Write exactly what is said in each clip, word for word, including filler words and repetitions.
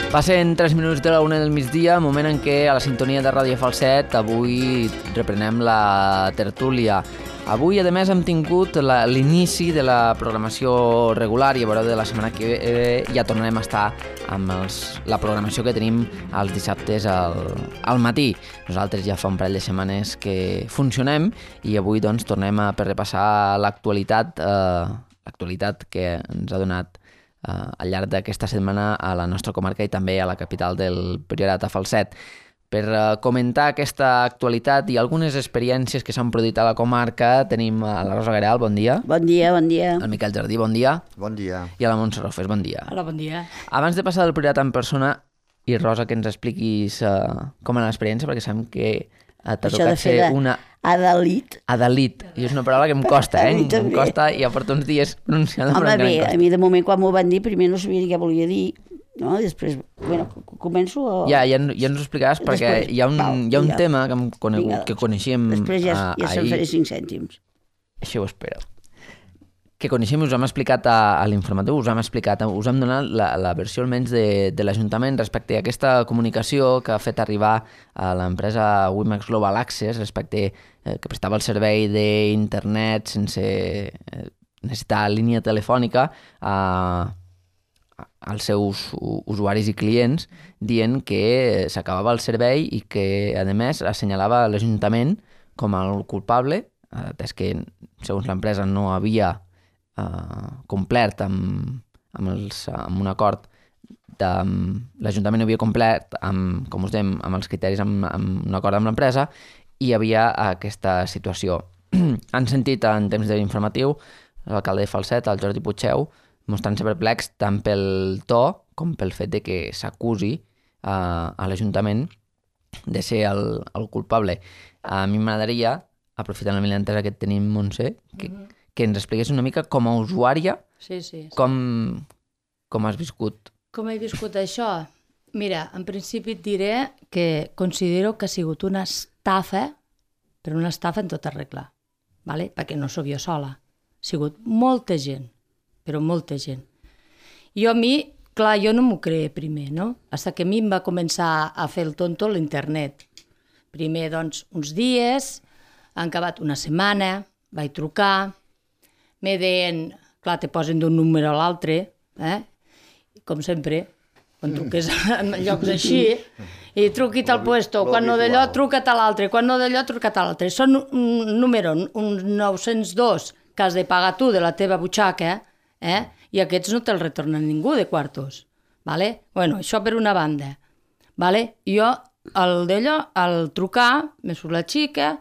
Passen tres minuts de la una del migdia, moment en què a la sintonia de Ràdio Falset avui reprenem la tertúlia. Avui, a més, hem tingut la, l'inici de la programació regular i a veure de la setmana que ve ja tornarem a estar amb els, la programació que tenim els dissabtes al, al matí. Nosaltres ja fa un parell de setmanes que funcionem i avui doncs, tornem a per repassar l'actualitat, eh, l'actualitat que ens ha donat Uh, al llarg d'aquesta setmana a la nostra comarca i també a la capital del Priorat, a Falset. Per uh, comentar aquesta actualitat i algunes experiències que s'han produït a la comarca tenim a la Rosa Gareal, bon dia. Bon dia, bon dia. Al Miquel Jardí, bon dia. Bon dia. I a la Montse Rofes, bon dia. Hola, bon dia. Abans de passar del Priorat en persona, i Rosa, que ens expliquis uh, com era l'experiència, perquè sabem que uh, t'ha Això tocat ser una... Adalit. Adalit. I és una paraula que em costa, eh? Em costa i ja porto uns dies pronunciant-la. Home, bé, a mi de moment quan m'ho van dir primer no sabia què volia dir, no? Després, bueno, començo a... Ja, ja, ja ens ho explicaràs perquè Després, hi ha un, val, hi ha un vinga. tema que, hem conegut, Vinga, doncs. que coneixíem Després ja, uh, ja ahir. se'n faré cinc cèntims. Això ho espero. Que coneixem, us hem explicat a, a l'informatiu, us hem explicat, us hem donat la, la versió almenys de, de l'Ajuntament respecte a aquesta comunicació que ha fet arribar a l'empresa Wimax Global Access respecte eh, que prestava el servei d'internet sense eh, necessitar línia telefònica a, a, als seus usuaris i clients dient que s'acabava el servei i que, a més, assenyalava l'Ajuntament com el culpable, atès que, segons l'empresa, no havia Uh, complert amb, amb, els, amb un acord de, l'Ajuntament havia complert amb, com us dèiem, amb els criteris amb, amb un acord amb l'empresa i hi havia aquesta situació. Han sentit en temps de l'informatiu l'alcalde de Falset, el Jordi Puigdeu, mostrant-se perplex tant pel to com pel fet de que s'acusi uh, a l'Ajuntament de ser el, el culpable. A mi m'agradaria, aprofitant la milantesa que tenim, Montse, que mm-hmm. que ens expliqués una mica com a usuària sí, sí, sí. Com, com has viscut. Com he viscut això? Mira, en principi et diré que considero que ha sigut una estafa, però una estafa en tota regla, ¿vale? Perquè no sóc jo sola. Ha sigut molta gent, però molta gent. Jo a mi, clar, jo no m'ho creia primer, no? Fins que a mi em va començar a fer el tonto l'internet. Primer, doncs, uns dies, han acabat una setmana, vaig trucar, me deien, clar, te posen d'un número a l'altre, eh? Com sempre, quan truques en llocs així, i truqui tal puesto, quan no d'allò, truca't a l'altre, quan no d'allò, truca't a l'altre. Són un número, un nou-cents dos, que has de pagar tu de la teva butxaca, eh? I aquests no te'ls retorna ningú de quartos, vale? Bueno, això per una banda, vale? Jo, el d'allò, al trucar, me surt la xica,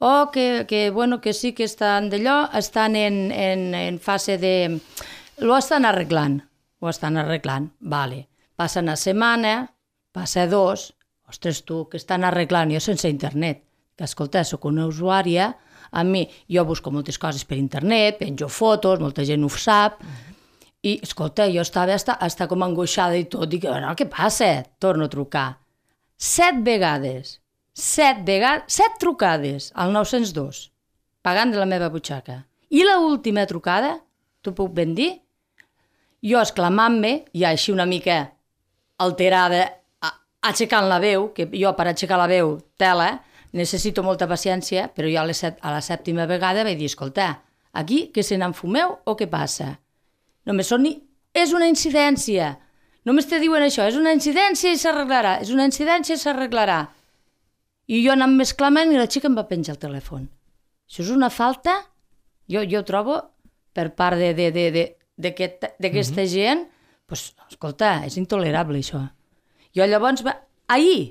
o que, que, bueno, que sí que estan d'allò, estan en, en, en fase de... Lo estan arreglant, ho estan arreglant, vale. Passa una setmana, passa dos, ostres tu, que estan arreglant, jo sense internet, que escolta, sóc una usuària, a mi, jo busco moltes coses per internet, penjo fotos, molta gent ho sap, i escolta, jo estava hasta, hasta com angoixada i tot, dic, no, què passa? Torno a trucar. Set vegades. Set vegades, set trucades al nou-cents dos, pagant de la meva butxaca. I l'última trucada, t'ho puc ben dir, jo exclamant-me, ja així una mica alterada, aixecant la veu, que jo per aixecar la veu, tela, necessito molta paciència, però jo a la, set, a la sèptima vegada vaig dir, escolta, aquí que se n'enfumeu o què passa? Només són ni... És una incidència. Només te diuen això, és una incidència i s'arreglarà, és una incidència i s'arreglarà. I jo anant més clamant i la xica em va penjar el telèfon. Això és una falta, jo, jo trobo, per part d'aquesta mm-hmm. gent, pues, escolta, és intolerable això. Jo llavors, va, ahir,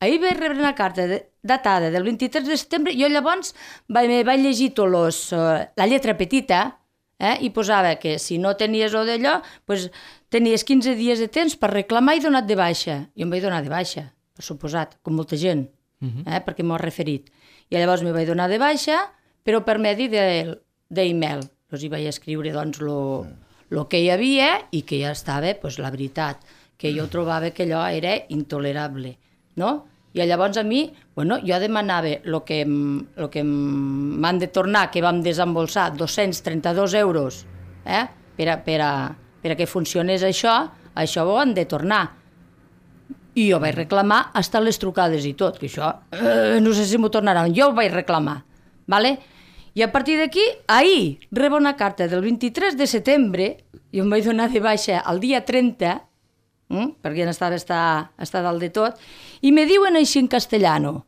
ahir vaig rebre una carta de, datada del vint-i-tres de setembre, jo llavors vaig, vaig llegir tot los, uh, la lletra petita, eh, i posava que si no tenies o d'allò, pues, tenies quinze dies de temps per reclamar i donar de baixa. Jo em vaig donar de baixa, per suposat, com molta gent. Uh-huh. Eh, perquè m'ho ha referit. I llavors me vaig donar de baixa, però per medi d'e-mail. Llavors hi vaig escriure doncs, lo, el que hi havia i que ja estava, doncs, la veritat, que jo trobava que allò era intolerable, no? I llavors a mi, bueno, jo demanava el que, lo que m'han de tornar, que vam desembolsar dos-cents trenta-dos euros, eh? per, a, per, a, per a que funcionés això, això ho han de tornar. I jo vaig reclamar hasta les trucades i tot, que això, eh, no sé si m'ho tornaran, jo ho vaig reclamar, ¿vale? I a partir d'aquí, ahir, rebo una carta del vint-i-tres de setembre, i em vaig donar de baixa el dia trenta, ¿Mm? perquè no estava està, està dalt de tot, y me diuen així en castellano: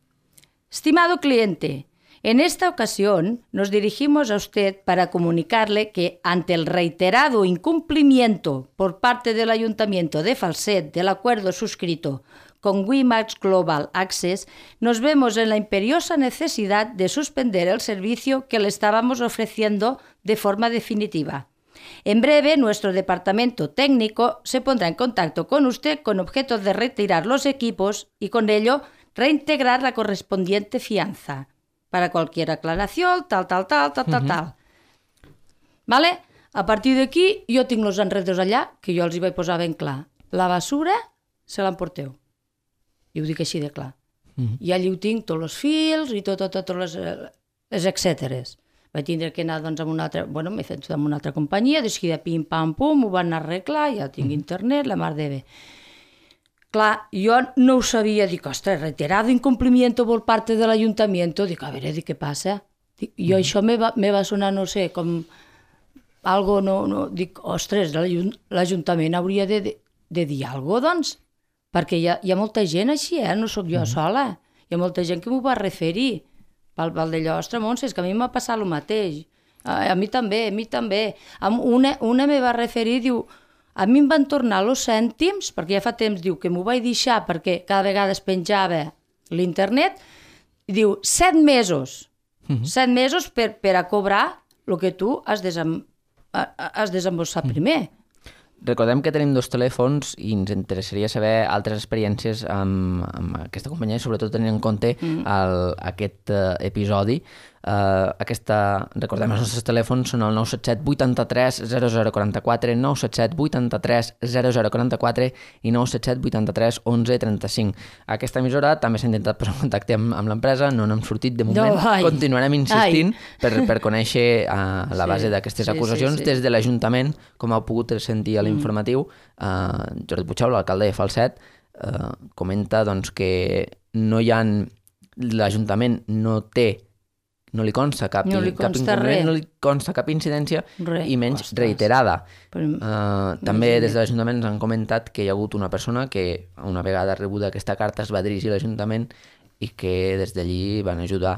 estimado cliente, en esta ocasión nos dirigimos a usted para comunicarle que ante el reiterado incumplimiento por parte del Ayuntamiento de Falset del acuerdo suscrito con WiMAX Global Access, nos vemos en la imperiosa necesidad de suspender el servicio que le estábamos ofreciendo de forma definitiva. En breve, nuestro departamento técnico se pondrá en contacto con usted con objeto de retirar los equipos y con ello reintegrar la correspondiente fianza. Para cualquier aclaración, tal, tal, tal, tal, tal, tal. Vale? A partir d'aquí, jo tinc els enredos allà, que jo els hi vaig posar ben clar. La basura se l'emporteu. I ho dic així de clar. Mm-hmm. I allí ho tinc, tots els fils i tot, tot, tot les, les etcèteres. Vaig tindre que anar doncs, amb una altra... Bueno, m'he fet amb una altra companyia, de seguida pim-pam-pum, ho van arreglar, ja tinc mm-hmm. internet, la mar de bé. Clar, jo no ho sabia, dic, ostres, reiterado incumplimiento por parte del ayuntamiento, dic, a veure, dic, què passa? Dic, jo mm. això me va, me va sonar, no sé, com algo, no, no, dic, ostres, l'Ajuntament hauria de, de, de dir alguna cosa, doncs, perquè hi ha, hi ha molta gent així, eh? No sóc jo mm. sola, hi ha molta gent que m'ho va referir, pel, pel d'allò, ostres, Montse, és que a mi m'ha passat el mateix, a, a mi també, a mi també, una, una me va referir, diu, a mi em van tornar els cèntims, perquè ja fa temps, diu, que m'ho vaig deixar perquè cada vegada es penjava l'internet, i diu, set mesos, uh-huh. set mesos per, per a cobrar el que tu has, desem, has desemborsat uh-huh. primer. Recordem que tenim dos telèfons i ens interessaria saber altres experiències amb, amb aquesta companyia, sobretot tenint en compte mm. el, aquest uh, episodi. Uh, aquesta, recordem, els nostres telèfons són el nou set set vuitanta-tres zero zero quaranta-quatre, nou set set vuitanta-tres zero zero quaranta-quatre i nou set set vuitanta-tres onze trenta-cinc. Aquesta emissora també s'ha intentat posar en contacte amb, amb l'empresa, no n'hem sortit de moment. No, continuarem insistint per, per conèixer uh, la base sí, d'aquestes sí, acusacions sí, sí. des de l'Ajuntament, com heu pogut sentir a l'informatiu. Uh, Jordi Puigdeu, l'alcalde de Falset, uh, comenta doncs, que no hi ha... l'Ajuntament no té no li consta cap, no li cap inconvenient, no li consta cap incidència re. I menys Ostres. reiterada. Però, uh, també des de l'Ajuntament ens han comentat que hi ha hagut una persona que una vegada rebuda aquesta carta es va dirigir a l'Ajuntament i que des d'allí van ajudar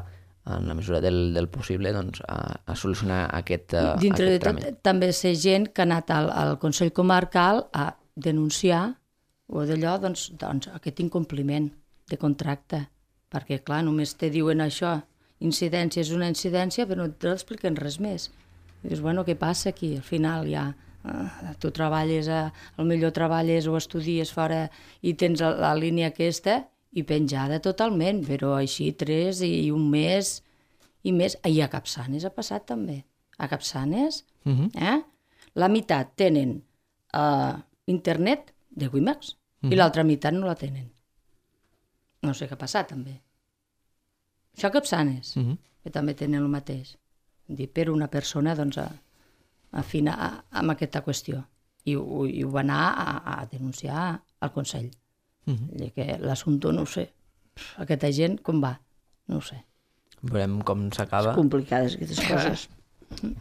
en la mesura del, del possible doncs, a, a solucionar aquest, uh, dintre aquest tràmit. De tot, també sé gent que ha anat al, al Consell Comarcal a denunciar o d'allò doncs, doncs, aquest incompliment de contracte, perquè clar, només te diuen això, incidència és una incidència, però no t'expliquen res més. I dius, bueno, què passa aquí? Al final ja eh, tu treballes, a, al millor treballes o estudies fora i tens la, la línia aquesta i penjada totalment, però així tres i un mes i més. I a Capçanes ha passat també. A Capçanes, uh-huh. eh? la meitat tenen uh, internet de WiMAX uh-huh. i l'altra meitat no la tenen. No sé què ha passat també. Això a Capçanes, uh-huh. que també tenen el mateix. Dir, per una persona doncs, a, a afinar a, amb aquesta qüestió. I, I, i ho va anar a, a denunciar al Consell. Uh-huh. Que l'assumpte no ho sé. Aquesta gent com va? No ho sé. Veurem com s'acaba. És complicades aquestes coses.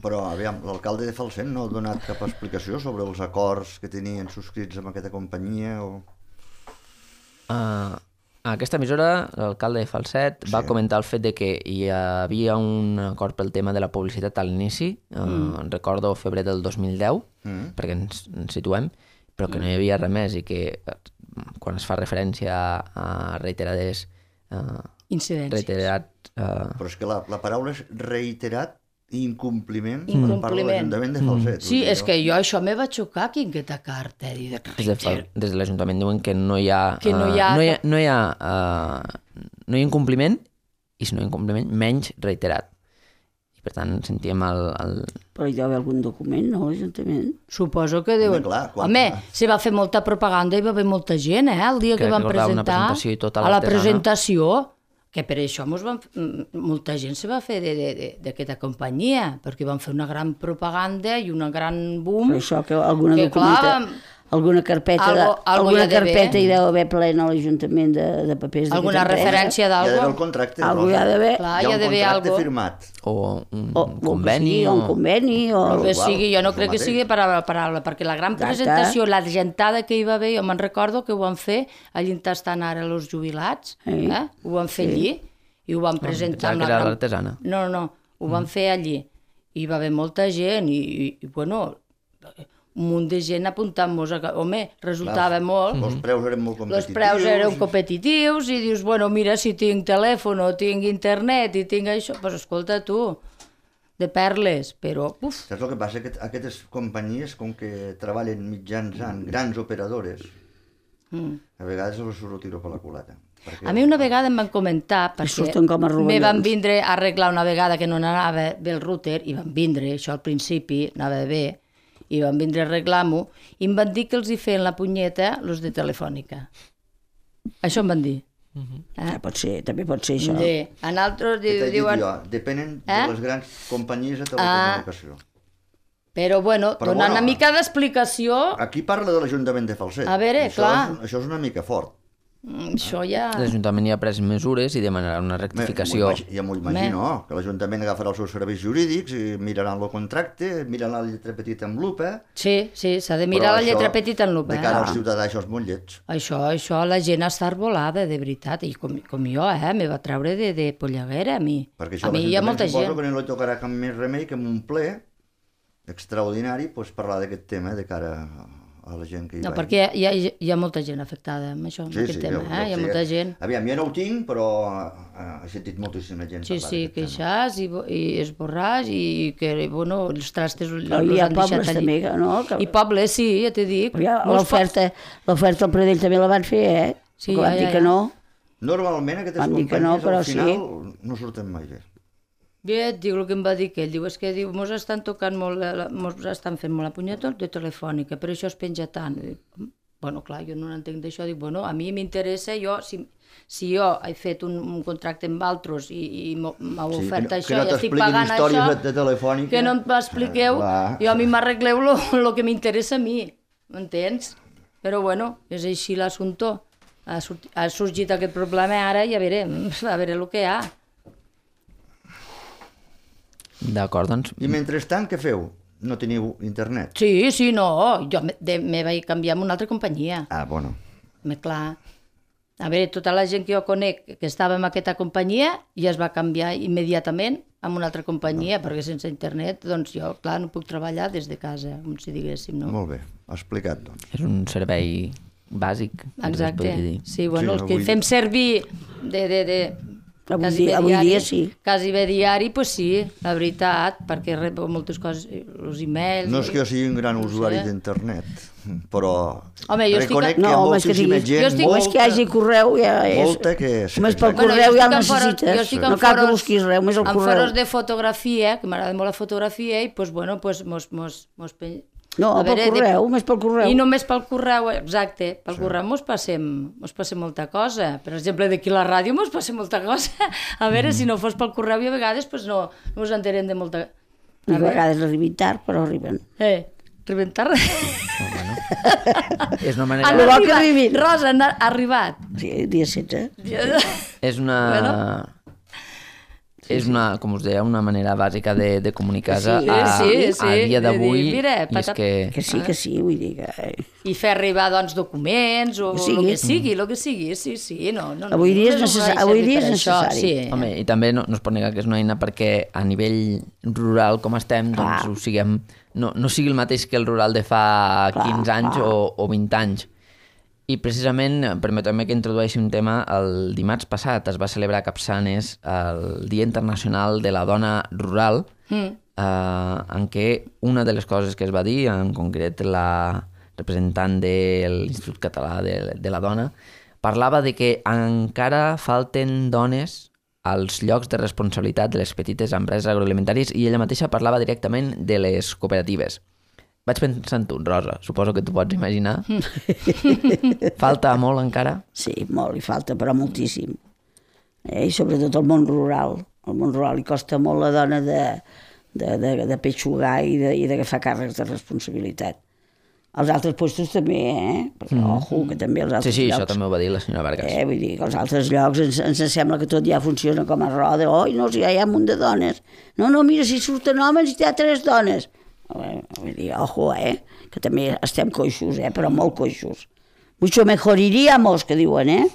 Però, aviam, l'alcalde de Falset no ha donat cap explicació sobre els acords que tenien subscrits amb aquesta companyia o... Uh... A aquesta emissora, l'alcalde de Falset sí. va comentar el fet de que hi havia un acord pel tema de la publicitat a l'inici, mm. eh, recordo febrer del dos mil deu, mm. perquè ens, ens situem, però que no hi havia res més i que quan es fa referència a, a reiterades... Eh, incidències. Reiterat, eh... Però és que la, la paraula és reiterat incompliment, incompliment. per part de l'Ajuntament de Falset. Mm. Sí, és que jo això me va xocar aquí en aquesta carta. De des, de, des de l'Ajuntament diuen que no hi ha... Que no hi ha... Uh, no hi ha, no hi ha, uh, no hi ha incompliment i si no hi ha incompliment, menys reiterat. I per tant sentíem el... el... Però hi deu haver algun document, no, l'Ajuntament? Suposo que deuen... clar, quan- Home, s'hi va fer molta propaganda i va haver molta gent, eh, el dia que, Que van recordava una presentar. presentació i tot a a la l'artesana. presentació, que per això mos van, mm, molta gent se va fer de- de- de- d'aquesta companyia, perquè van fer una gran propaganda i una gran boom. Però això, que alguna que, documenta... clar, Alguna carpeta, de, Algo- algo alguna hi ha d'haver. carpeta hi deu haver plena a l'Ajuntament de, de papers d'aquesta alguna empresa. referència Hi ha d'haver el d'algú. contracte. Algú hi Rosa. ha d'haver. Clar, Hi hi ha ha un d'haver contracte algo. firmat. o un O, conveni. o, un conveni, o... El que igual, sigui, jo no és el crec que mateix. sigui paraula a paraula, perquè la gran Exacte. presentació, la gentada que hi va haver, jo me'n recordo que ho van fer allí on estan ara els jubilats, Sí. eh? ho van fer allí, i ho van presentar pensava amb que la era gran... l'artesana. No, no, ho van fer allí. I hi va haver molta gent, i, i, i bueno, un munt de gent apuntant-nos, a... home, resultava molt. Els preus eren molt Els competitius. preus eren competitius i dius, bueno, mira, si tinc telèfon o tinc internet i tinc això, doncs pues escolta tu, de perles, però, uf, Saps el que passa? Que aquestes companyies, com que treballen mitjançant grans operadores, mm. a vegades els surt el tiro per la culata. Perquè... A mi una vegada em van comentar, perquè surten com a rovellons. me van vindre a arreglar una vegada que no anava bé el router, i van vindre, això al principi anava bé, i van vindre a arreglar-m'ho, i em van dir que els hi feien la punyeta los de Telefònica. Això em van dir. Ah, pot ser, també pot ser això. De, en altres Què t'he dit diuen... jo? Depenen Eh? de les grans companyies de telecomunicació. Però, bueno, Però, donant bueno, una mica d'explicació, Aquí parla de l'Ajuntament de Falset. A veure, això clar. És, això és una mica fort. mm, això ja... L'Ajuntament ja ha pres mesures i demanarà una Me- rectificació. m'ho imagi- Ja m'ho imagino, que l'Ajuntament agafarà els seus serveis jurídics i miraran el contracte, miraran la lletra petita amb lupa... Sí, sí, s'ha de mirar però la lletra això, petita en lupa. De cara eh? al ciutadà, això és molt lleig. Això, això, la gent està arbolada, de veritat, i com, com jo, eh, me va treure de, de polleguera, a mi. Perquè això A mi hi ha molta suposo gent. que no li tocarà cap més remei que amb un ple extraordinari pues, parlar d'aquest tema de cara a la gent que hi No, va. perquè hi ha, hi ha molta gent afectada amb això, amb Sí, aquest sí, tema, jo- eh? jo Hi ha sé. molta gent. Aviam, jo no ho tinc, però eh, he sentit moltíssima gent Sí, parlar sí, d'aquest tema. queixars i, bo- i esborrars i que, bueno, els trastes els Però hi ha han pobles deixat allí. també, no? Que... I pobles, sí, ja t'he dit. Però ja Molts l'oferta, l'oferta al Pradell també la van fer, eh? Sí, que van ja, dir ja, que ja. no. Normalment aquestes Vam dir que companyies no, però al final sí. no surten mai bé. Bé, et dic el que em va dir que ell, diu, és que diu, mos estan tocant molt, la- la- mos estan fent molt la punyeta de Telefònica, per això es penja tant. I dic, "Mm, bueno, clar, jo no n'entenc d'això, dic, bueno, a mi m'interessa, jo, si, si jo he fet un, un contracte amb altres i, i m'ho- m'heu Sí, ofert que no- això que no i estic t'expliquin pagant històries això, de- de Telefònica. que no m'expliqueu, Ah, clar. jo a mi m'arregleu el que m'interessa a mi, m'entens? Però bueno, és així l'assumpte. Ha, sortit, ha sorgit aquest problema ara i a veure, a veure el que hi ha. D'acord, doncs, I mentrestant, què feu? No teniu internet? Sí, sí, no, jo me, de, me vaig canviar amb una altra companyia, Ah, bueno. me clar. A veure, tota la gent que jo conec que estava en aquesta companyia ja es va canviar immediatament amb una altra companyia, perquè sense internet, doncs jo, clar, no puc treballar des de casa, com si diguéssim, no? Molt bé, explicat, doncs. és un servei bàsic. es podria Exacte. dir. Sí, bueno, Sí, els que avui- fem servir de, de, de, Avui quasi dia- bé avui diari, dia sí. quasi bé diari, pues sí, la veritat, perquè rebo moltes coses, els e-mails... No és que jo sigui un gran no usuari sé. d'internet, però Home, jo estic- reconec que No, hi ha home, és que moltíssima sigui- gent, jo estic- Només que hi hagi correu ja és... molta que... Només pel exacte. correu jo ja el estic en foro- necessites. jo estic en No cal que foros- busquis res, només el en correu. foros de fotografia, que m'agrada molt la fotografia, i pues, bueno, pues, mos, mos, mos pen... No, A pel veure, de- correu, només pel correu. I només pel correu, exacte, pel sí. correu mos passem, mos passem molta cosa. Per exemple, d'aquí a la ràdio mos passem molta cosa. A veure, mm. si no fos pel correu i a vegades pues no, no ens enterem de molta... A vegades arriben tard, però arriben. Eh, rebentar res. És una Han manera... Lo bo que arribat, arribin. Rosa, han arribat. Sí, dia setze. És una... Bueno. És una, com us deia, una manera bàsica de, de comunicar-se Sí, a, sí, sí, a dia de dir, d'avui. mira, I és patat- que... Que sí, que sí, vull dir que... eh, I fer arribar, doncs, documents o Que el sigui. que sigui, el que sigui, sí, sí, no. no Avui dia és no necessari- no avui servir dia per és això, necessari. Sí. Home, i també no, no es pot negar que és una eina perquè a nivell rural com estem, doncs Clar. ho siguem, no, no sigui el mateix que el rural de fa Clar, quinze anys clar. o, o vint anys. I precisament, permeteu-me que introdueixi un tema, el dimarts passat es va celebrar a Capçanes el Dia Internacional de la Dona Rural, Mm. eh, en què una de les coses que es va dir, en concret la representant de l'Institut Català de, de la Dona, parlava de que encara falten dones als llocs de responsabilitat de les petites empreses agroalimentàries i ella mateixa parlava directament de les cooperatives. Vaig pensar en tu, Rosa, suposo que tu pots imaginar. Falta molt encara? Sí, molt, li falta, però moltíssim. Eh? I sobretot el món rural. Al món rural li costa molt la dona de, de, de, de peixugar i de, i d'agafar càrrecs de responsabilitat. Els altres puestos també, eh? Perquè, mm. ojo, que també els altres sí, sí, llocs... això també ho va dir la senyora Vargas. Eh? Vull dir que els altres llocs ens, ens sembla que tot ja funciona com a roda. Oi, no, si ja hi ha un munt de dones. No, no, mira, si surten homes i hi ha tres dones. Vull dir, ojo, eh? Que també estem coixos, eh? Però molt coixos. Mucho mejor iríamos, que diuen, eh?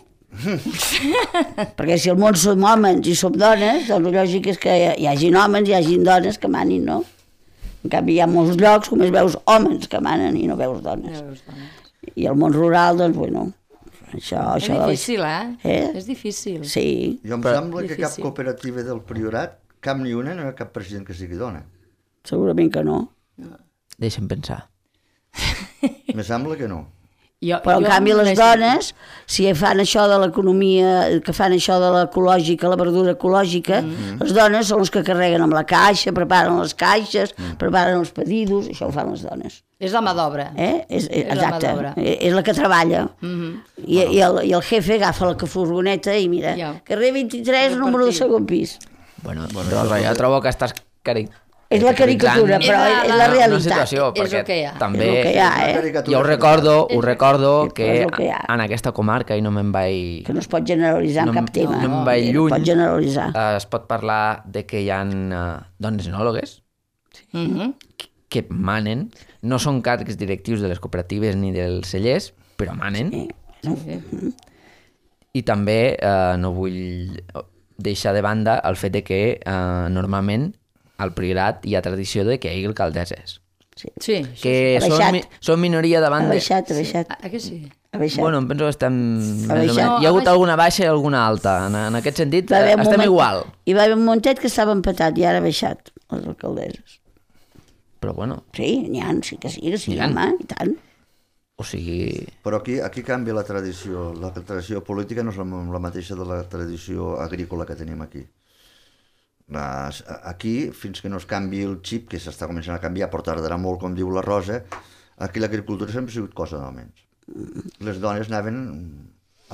Perquè si el món som homes i som dones, doncs el lògic és que hi hagin homes i hi hagin dones que manin, no? En canvi, hi ha molts llocs, com es veus homes que manen i no veus dones. No veus dones. I el món rural, doncs, bueno, això... És això difícil, eh? eh? És difícil. Sí. Jo em Però... sembla que difícil. cap cooperativa del Priorat, cap ni una, no hi ha cap president que sigui dona. Segurament que no. Deixa'm pensar. Me sembla que no. Jo, Però, en jo canvi, les només- dones, si fan això de l'economia, que fan això de l'ecològica, la verdura ecològica, mm. les dones són les que carreguen amb la caixa, preparen les caixes, mm. preparen els pedidos, això ho fan les dones. És la mà d'obra. Eh? És, és, És la mà exacte, d'obra. és, és la que treballa. Mm-hmm. I, i, el, I el jefe agafa la furgoneta i mira, Ja. carrer vint-i-tres, número de segon pis. Bueno, Rosa, ja trobo que estàs cari... És la caricatura, però És la- és la una realitat. situació, És perquè el que hi ha. també... És el que hi ha, Una eh? caricatura Jo ho recordo, ho recordo que és el que hi ha. en aquesta comarca, i no me'n vaig... Que no es pot generalitzar No en em- cap tema. no em vaig no lluny. pot generalitzar. eh, es pot parlar de que hi ha uh, dones enòlogues Mhm. que manen, no són càrrecs directius de les cooperatives ni dels cellers, però manen. Sí. I també eh, no vull deixar de banda el fet de que eh, normalment al Priorat hi ha tradició de que hi hagi alcaldesses, Sí. Sí, que Ha són, baixat. mi, són minoria davant Ha de... baixat, ha baixat, Ah, que sí? ha baixat. Bueno, em penso que estem... més o baixat. menys. No, Hi ha ha hagut baixat. alguna baixa i alguna alta. En, en aquest sentit, Va haver eh, un estem moment- igual. Hi va haver un momentet que estava empatat i ara ha baixat, les alcaldesses. Però bueno, Sí, n'hi ha, sí que sí, que sí, N'hi ha. home, i tant. o sigui... Però aquí, aquí canvia la tradició. La tradició política no és la, la mateixa de la tradició agrícola que tenim aquí. Les, aquí, fins que no es canvi el xip, que s'està començant a canviar, però tardarà molt, com diu la Rosa, aquí l'agricultura sempre ha sigut cosa d'homes. Les dones anaven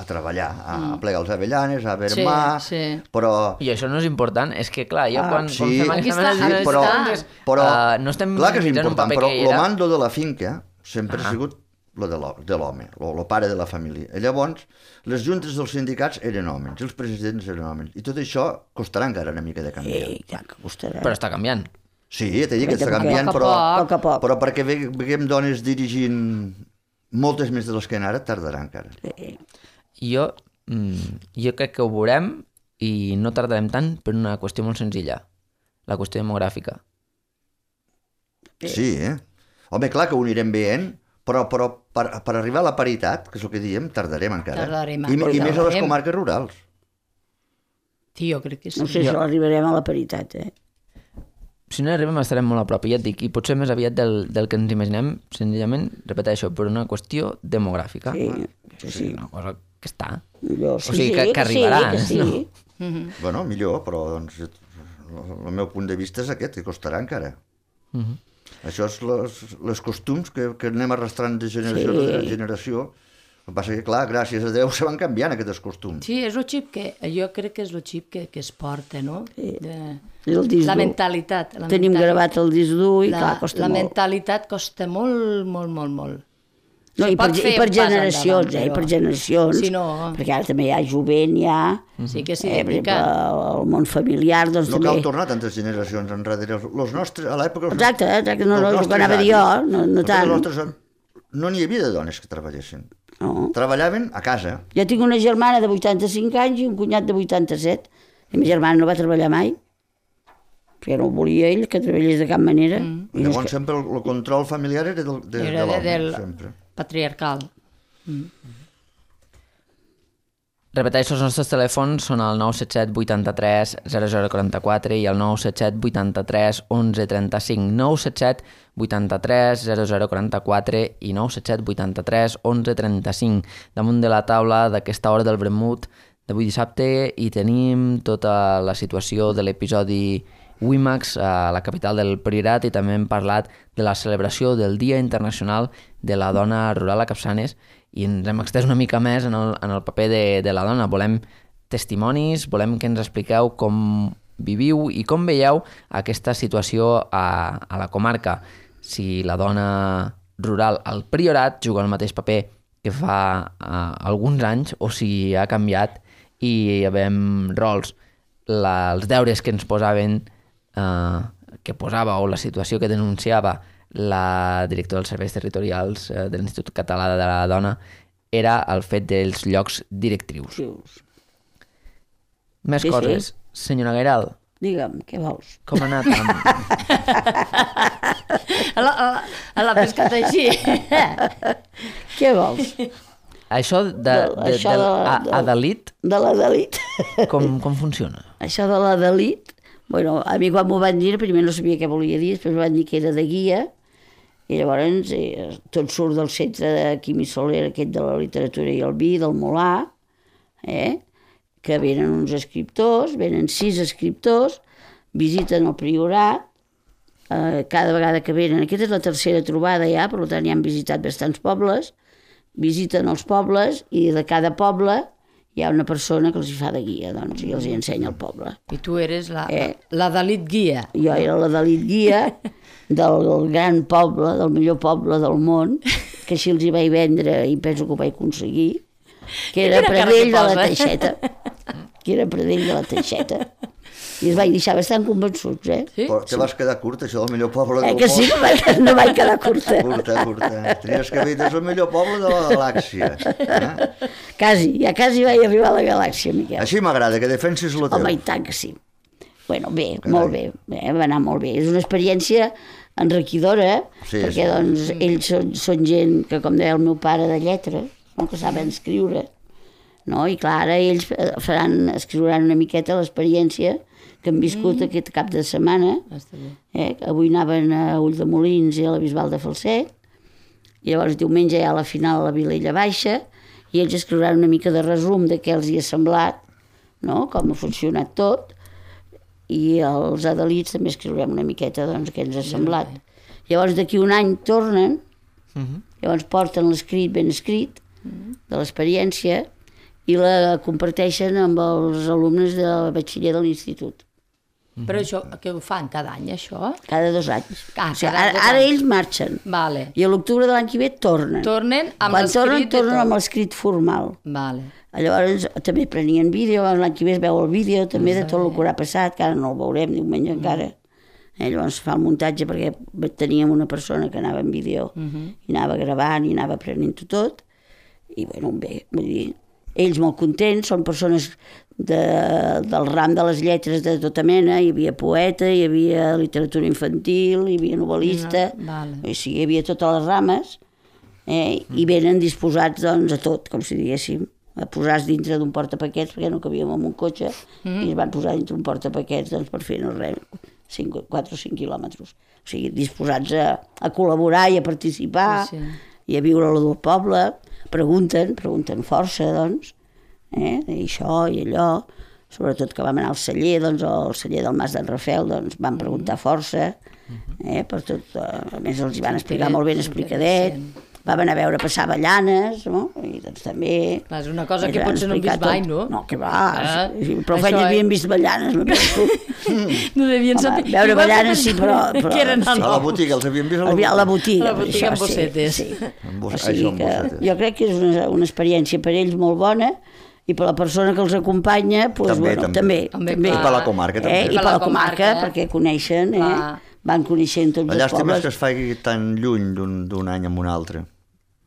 a treballar, a mm. plegar els avellanes, a vermar, Sí, sí. però... I això no és important, és que clar, jo Ah, quan, sí. quan fem Aquí aquesta està, anàlisi aquí de està. comptes, Però, eh, no estem clar que és utilitzant un important, paper però que el era... mando de la finca sempre ah. ha sigut lo de l'ho- de l'home, el pare de la família. I llavors, les juntes dels sindicats eren homes, i els presidents eren homes. I tot això costarà encara una mica de canviar. Eh, ja que costarà. Però està canviant. Sí, t'he dit que Perquè està a canviant, poc a però, poc. A poc a poc. però perquè ve- veiem dones dirigint moltes més de les que en ara, tardarà encara. Eh, Jo, mm, jo crec que ho veurem i no tardarem tant per una qüestió molt senzilla, la qüestió demogràfica. Sí, eh? Home, clar que ho anirem veient, però, però per, per arribar a la paritat, que és el que diem, tardarem encara. Tardarem, I, I més a les tardarem. comarques rurals. Sí, jo crec que sí. no sé si arribarem a la paritat, eh? Si no hi arribem estarem molt a prop, i ja et dic, i potser més aviat del, del que ens imaginem, senzillament, repeteixo, per una qüestió demogràfica. Sí, O sí, sigui, sí. una cosa que està. Jo, sí, O sigui, sí, que- que arribarà, Sí, que sí. no? Mhm. Bueno, millor, però doncs, el, el meu punt de vista és aquest, que costarà encara. Uh -huh. Això és les, les costums que, que anem arrastrant de generació Sí. en generació. El que passa que, clar, gràcies a Déu se van canviant aquests costums. Sí, és el xip que... Jo crec que és el xip que, que es porta, no? Sí. De, És el disc la dur. mentalitat. La Tenim mentalitat. gravat el disc dur i, la, clar, costa la molt. mentalitat costa molt, molt, molt, molt. No, Se i per, pot i fer per un pas generacions, endavant, eh? I però- per generacions. Si no- Perquè ara també hi ha jovent, hi ha... Sí que s'hi Eh, per exemple, dedica. el món familiar, doncs No també... cal tornar tantes generacions enrere. Els nostres, a l'època... els Exacte, nostres- exacte, no, no, els el que nostres anava a dir avis, jo, no, no els tant. nostres- no n'hi havia de dones que treballessin. No. Treballaven a casa. Jo tinc una germana de vuitanta-cinc anys i un cunyat de vuitanta-set. I ma germana no va treballar mai, perquè no ho volia ell, que treballés de cap manera. Mm. I Llavors és que, sempre el, el control familiar era del, de, Era de l'home, de- del- sempre. Patriarcal. Repeteixo, els nostres telèfons són el nou set set vuitanta-tres zero zero quaranta-quatre i el nou set set vuitanta-tres onze trenta-cinc, nou set set vuitanta-tres zero zero quaranta-quatre i nou set set vuitanta-tres onze trenta-cinc. Damunt de la taula d'aquesta hora del vermut d'avui dissabte i tenim tota la situació de l'episodi WIMAX a la capital del Priorat i també hem parlat de la celebració del Dia Internacional de la Dona Rural a Capçanes i ens hem extès una mica més en el, en el paper de, de la dona. Volem testimonis, volem que ens expliqueu com viviu i com veieu aquesta situació a, a la comarca. Si la dona rural al Priorat juga el mateix paper que fa uh, alguns anys o si ha canviat i hi havem rols, la, els deures que ens posaven Uh, que posava o la situació que denunciava la directora dels serveis territorials uh, de l'Institut Català de la Dona era el fet dels llocs directrius. Més Sí, coses. sí. Senyora Gairal, Digue'm, què vols? com ha anat? Amb... A la, a la, a la pescata així. Què vols? Això de, de, Això del de- a- de- Adelit, De la delit. com, com funciona? Això de la delit, bueno, a mi quan m'ho van dir, primer no sabia què volia dir, després m'ho van dir que era de guia, i llavors eh, tot surt del centre de Quimi Soler, aquest de la literatura i el vi, del Molà, eh? que venen uns escriptors, venen sis escriptors, visiten el Priorat, eh, cada vegada que venen, aquesta és la tercera trobada ja, per tant ja han visitat bastants pobles, visiten els pobles i de cada poble hi ha una persona que els hi fa de guia, doncs, i els hi ensenya el poble. I tu eres la, Eh. la Dalit guia. Jo era la delit guia del gran poble, del millor poble del món, que així els hi vaig vendre i penso que ho vaig aconseguir, que era Quina cara Pradell que de la posa. Teixeta. Que era Pradell de la Teixeta. I els vaig deixar bastant convençuts, eh? Sí? Però te vas quedar curta, això del millor poble Eh del que sí, no vaig, no vaig quedar curta. Curta, curta. Tenies que dir, és el millor poble de la galàxia. Eh? Quasi, ja quasi vaig arribar a la galàxia, Miquel. Així m'agrada, que defensis lo teu. Home, i tant que sí. Bueno, bé, molt bé, eh, va anar molt bé. És una experiència enriquidora, Sí, perquè sí. doncs, ells són, són gent que, com deia el meu pare, de lletres, no? Que saben escriure. No? I clar, ara ells faran, escriuran una miqueta l'experiència que han viscut mm. aquest cap de setmana. Està bé. Eh? Avui anaven a Ulldemolins i a la Bisbal de Falset, i llavors diumenge hi ha la final a la Vilella Baixa, i ells escriuran una mica de resum de què els hi ha semblat, no? Com ha funcionat tot, i els adelits també escriurem una miqueta doncs, què ens ha semblat. Llavors d'aquí un any tornen, llavors porten l'escrit ben escrit de l'experiència i la comparteixen amb els alumnes de batxiller de l'institut. Però això, què ho fan cada any, això? Cada dos anys. Ah, o sigui, cada ara, dos ara anys. ells marxen. Vale. I a l'octubre de l'any que ve tornen. Tornen amb Quan tornen, l'escrit de tornen tot. amb l'escrit formal. Vale. Llavors també prenien vídeo, l'any que ve es veu el vídeo també de tot el que haurà passat, que ara no el veurem diumenge encara. Eh, llavors fa el muntatge perquè teníem una persona que anava en vídeo i anava gravant i anava aprenent tot. I bueno, bé, vull dir, ells molt contents, són persones de, del ram de les lletres de tota mena, hi havia poeta, hi havia literatura infantil, hi havia novel·lista, No, vale. o sigui, hi havia totes les rames, eh, i venen disposats doncs, a tot, com si diguéssim, a posar-se dintre d'un portapaquets, perquè no cabíem en un cotxe, i es van posar dintre un portapaquets doncs, per fer no res, quatre o cinc quilòmetres. O sigui, disposats a, a col·laborar i a participar, Sí, sí. i a viure a lo del poble, pregunten, pregunten força, doncs, eh, i això i allò, sobretot que vam anar al celler, doncs, o al celler del Mas d'en Rafel, doncs, van preguntar força, eh, per tot, eh, a més els hi van explicar molt ben explicadet, vam anar a veure passar avellanes, no? I doncs també... Clar, és una cosa ens que van potser no hem explicar vist mai, tot. no? No, que va, Ah, sí, però això, feia eh? havien vist avellanes, no penso. No devien Home, saber. veure Igual avellanes que sí, però- però- Que eren A la nous. botiga, els havíem vist a la A la botiga. botiga, A la botiga això, amb bossetes. Sí, sí. Amb bos- O sigui això, amb que bossetes. jo crec que és una, una experiència per ells molt bona i per la persona que els acompanya, doncs, També, bueno, també. també, També, també. clar. I per la comarca, també. Eh? I per la comarca, eh? perquè coneixen, eh? Clar. Van coneixent tots La els llàstima és pobles. que es faci tan lluny d'un d'un any amb un altre.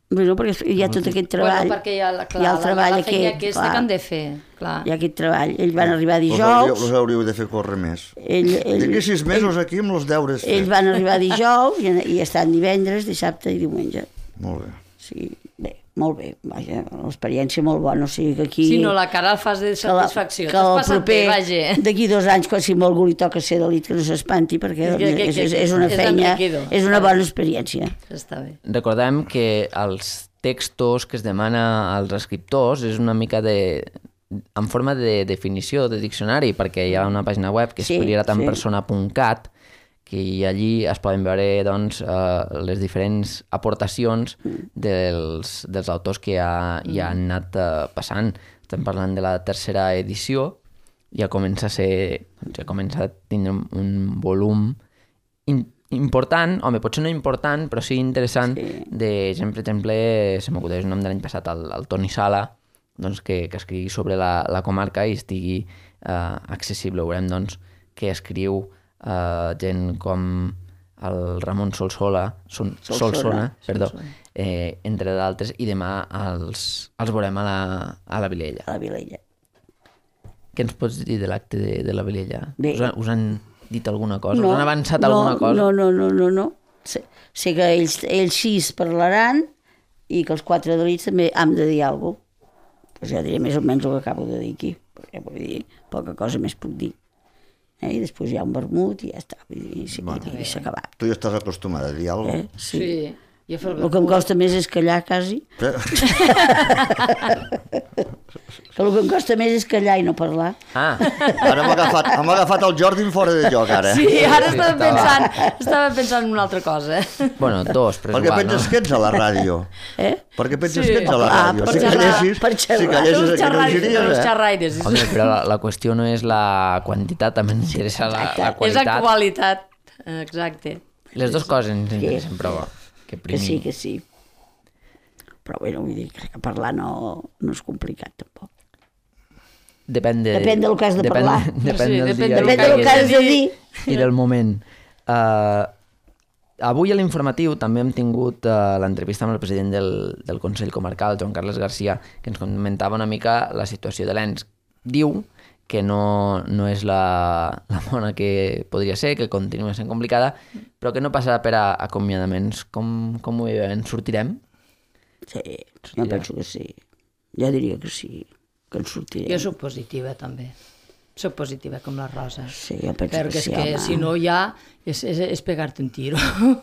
Bueno, perquè hi ha tot aquest treball. Bueno, perquè hi ha, la, clar, hi ha el treball la, la feina aquest, aquesta clar. que han de fer. Clar. Hi ha aquest treball. Ells van arribar Us hauríeu, dijous, us hauríeu de fer córrer més. ell, ell, D'aquí sis mesos aquí amb els deures ells fets. van arribar dijous i, i estan divendres, dissabte i diumenge. Molt bé. Sí, bé, molt bé, vaja, l'experiència molt bona, o sigui que aquí... Si no, la cara el fas de que la- satisfacció. que T'has el passat bé, vaja. d'aquí dos anys, quan si a algú li toca ser delit, que no s'espanti, perquè És que- que- és, és, que- és una és feina, enriquidor. és una bona experiència. Està bé. Recordem que els textos que es demana als escriptors és una mica de, en forma de definició, de diccionari, perquè hi ha una pàgina web que és Sí, prioratanspersona punt cat, que allí es poden veure doncs, eh, les diferents aportacions dels, dels autors que ja, ja han anat eh, passant. Estem parlant de la tercera edició, ja comença a ser, doncs, ja comença a tindre un, un volum in, important, home, potser no important, però sí interessant, Sí. de gent, per exemple, se m'acudeix el nom de l'any passat, el, el Toni Sala, doncs, que, que escrigui sobre la, la comarca i estigui eh, accessible. Veurem doncs, que escriu eh, gent com el Ramon Solsola, Son, Solsona. Solsona, perdó, Solsona. eh, entre d'altres, i demà els, els veurem a la, a la Vilella. A la Vilella. Què ens pots dir de l'acte de, de la Vilella? Bé. Us, han, us han dit alguna cosa? Us han avançat no, alguna cosa? No, no, no, no, no. Sé, sé que ells, ells sis parlaran i que els quatre delits també hem de dir alguna cosa. Pues ja diré més o menys el que acabo de dir aquí, perquè vull dir, poca cosa més puc dir. Eh? I després hi ha un vermut i ja està, vull dir, i, bueno, i s'ha acabat. Tu ja estàs acostumada a dir alguna Eh? cosa. Sí. Sí. Jo fer El que em costa més és callar, quasi. Eh? Que el que em costa més és callar i no parlar. Ah, Ara hem agafat, hem agafat el Jordi en fora de joc, ara. Sí, ara Sí, estava estava- pensant, estava pensant en una altra cosa. bueno, dos, però és Perquè igual, penses no? que ets a la ràdio. Eh? Perquè penses Sí. que ets a la Ah, ràdio. per Si xerrar, callessis, per xerrar. si callessis Els aquí no xerraires, els giries, eh? xerraires. Home, però la, la qüestió no és la quantitat, també ens interessa la, la És la qualitat. qualitat, exacte. Les dues coses ens interessen, però que Que primer... sí, que sí. Però bueno, vull dir que parlar no, no és complicat, tampoc. Depèn, de, Depèn del que has de depèn, parlar. Depèn Sí, del depèn dia del Depèn i- del que has de dir. i del moment. Uh, avui a l'informatiu també hem tingut uh, l'entrevista amb el president del, del Consell Comarcal, Joan Carles Garcia, que ens comentava una mica la situació de l'Ens. Diu que no, no és la, la bona que podria ser, que continua sent complicada, però que no passarà per a acomiadaments. Com, com ho veiem? Sortirem? Sí, jo penso que sí. Jo diria que sí, que en sortirem. Jo soc positiva, també. Soc positiva com la Rosa. Sí, jo penso Perquè que és sí, que home. si no ja és, és, és pegar-te un tiro.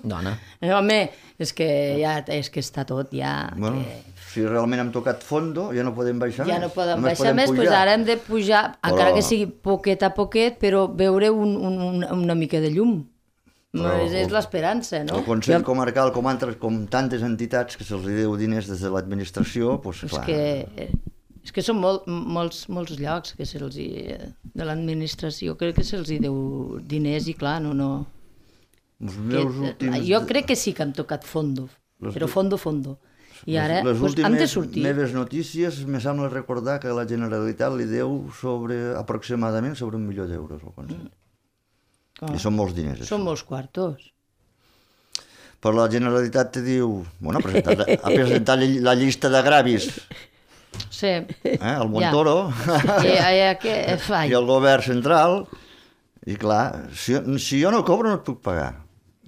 Dona. Eh, Home, és que ja és que està tot ja... Bueno, Que... si realment hem tocat fondo, ja no podem baixar Ja més. no podem Només baixar més, doncs ara hem de pujar, Però- encara que sigui poquet a poquet, però veure un, un, un, una mica de llum. Però- és és l'esperança, no? El Consell Comarcal, com, altres, com tantes entitats que se'ls deu diners des de l'administració, doncs És clar. que, eh, és que són molt, molts, molts llocs que se'ls hi- de l'administració, crec que se'ls hi deu diners i clar, no, no... Els Que, meus últims... jo crec que sí que hem tocat fondo, Les- però fondo, fondo. I ara les pues, últimes hem de sortir. meves notícies me sembla recordar que la Generalitat li deu sobre, aproximadament sobre un milió d'euros al Consell. Oh, I són molts diners. això. són molts quartos. Però la Generalitat te diu... Bueno, ha presentat, ha presentat la llista de gravis, Sí. eh, el Montoro, I, i, que, fai. i el govern central, i clar, si, si jo no cobro no et puc pagar.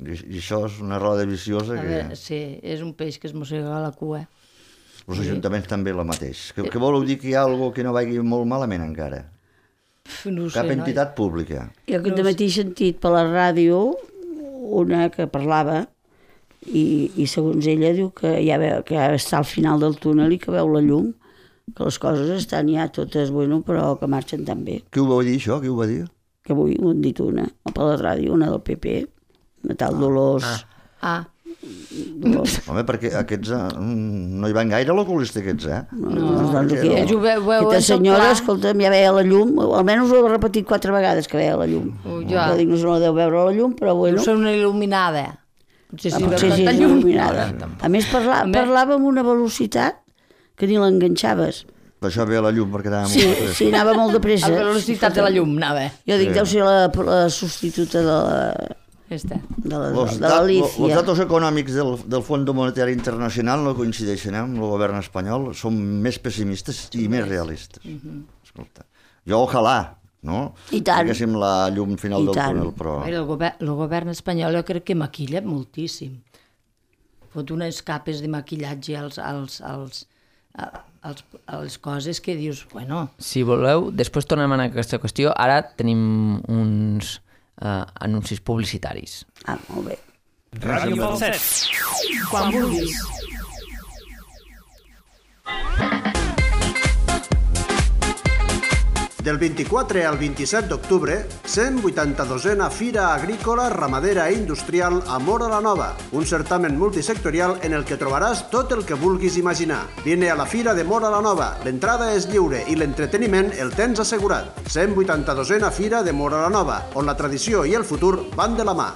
I, i això és una roda viciosa A que... veure, sí, és un peix que es mossega la cua. Els ajuntaments també la mateix. Que, que vol dir que hi ha alguna que no vagi molt malament encara? Pf, no ho Cap sé, entitat pública. Jo aquest matí he sentit per la ràdio una que parlava i, i segons ella diu que ja, veu, que ja està al final del túnel i que veu la llum, que les coses estan ja totes, bueno, però que marxen tan bé. Qui ho va dir, això? Qui ho va dir? Que avui ho han dit una, per la ràdio, una del P P, una tal Dolors... Ah, Dolors. Home, perquè aquests eh, no hi van gaire l'oculista aquests, eh? No, doncs, doncs, aquí, ells ho ve- ho veuen aquesta tot senyora, clar. escolta'm, ja veia la llum, almenys ho ha repetit quatre vegades que veia la llum. Oh, ja. Jo dic, no se no deu veure la llum, però bueno... no són una il·luminada. Potser Ah, si potser veu sí, tanta és llum. il·luminada. A més, parla, Home. parlava amb una velocitat que ni l'enganxaves. Per això veia la llum, perquè anava Sí, molt de pressa. sí, anava molt de A pressa. la velocitat de la llum, anava. Jo dic, deu ser la, la substituta de la, Ja està. de la, Els, de dat, l'Alicia. els datos econòmics del, del Fons Monetari Internacional no coincideixen eh, amb el govern espanyol, són més pessimistes i més realistes. Escolta, jo ojalà, no? I tant. Haguéssim la llum final I del tant. túnel, però... El, govern, el govern espanyol jo crec que maquilla moltíssim. Fot unes capes de maquillatge als, als, als, a, als, a les coses que dius, bueno, Si voleu, després tornem a aquesta qüestió. Ara tenim uns uh, anuncis publicitaris. Ah, molt bé. Ràdio Falset. Quan vulguis. Del vint-i-quatre al vint-i-set d'octubre, cent vuitanta-dosena Fira Agrícola, Ramadera i Industrial a Móra la Nova, un certamen multisectorial en el que trobaràs tot el que vulguis imaginar. Vine a la Fira de Móra la Nova, l'entrada és lliure i l'entreteniment el tens assegurat. cent vuitanta-dosena Fira de Móra la Nova, on la tradició i el futur van de la mà.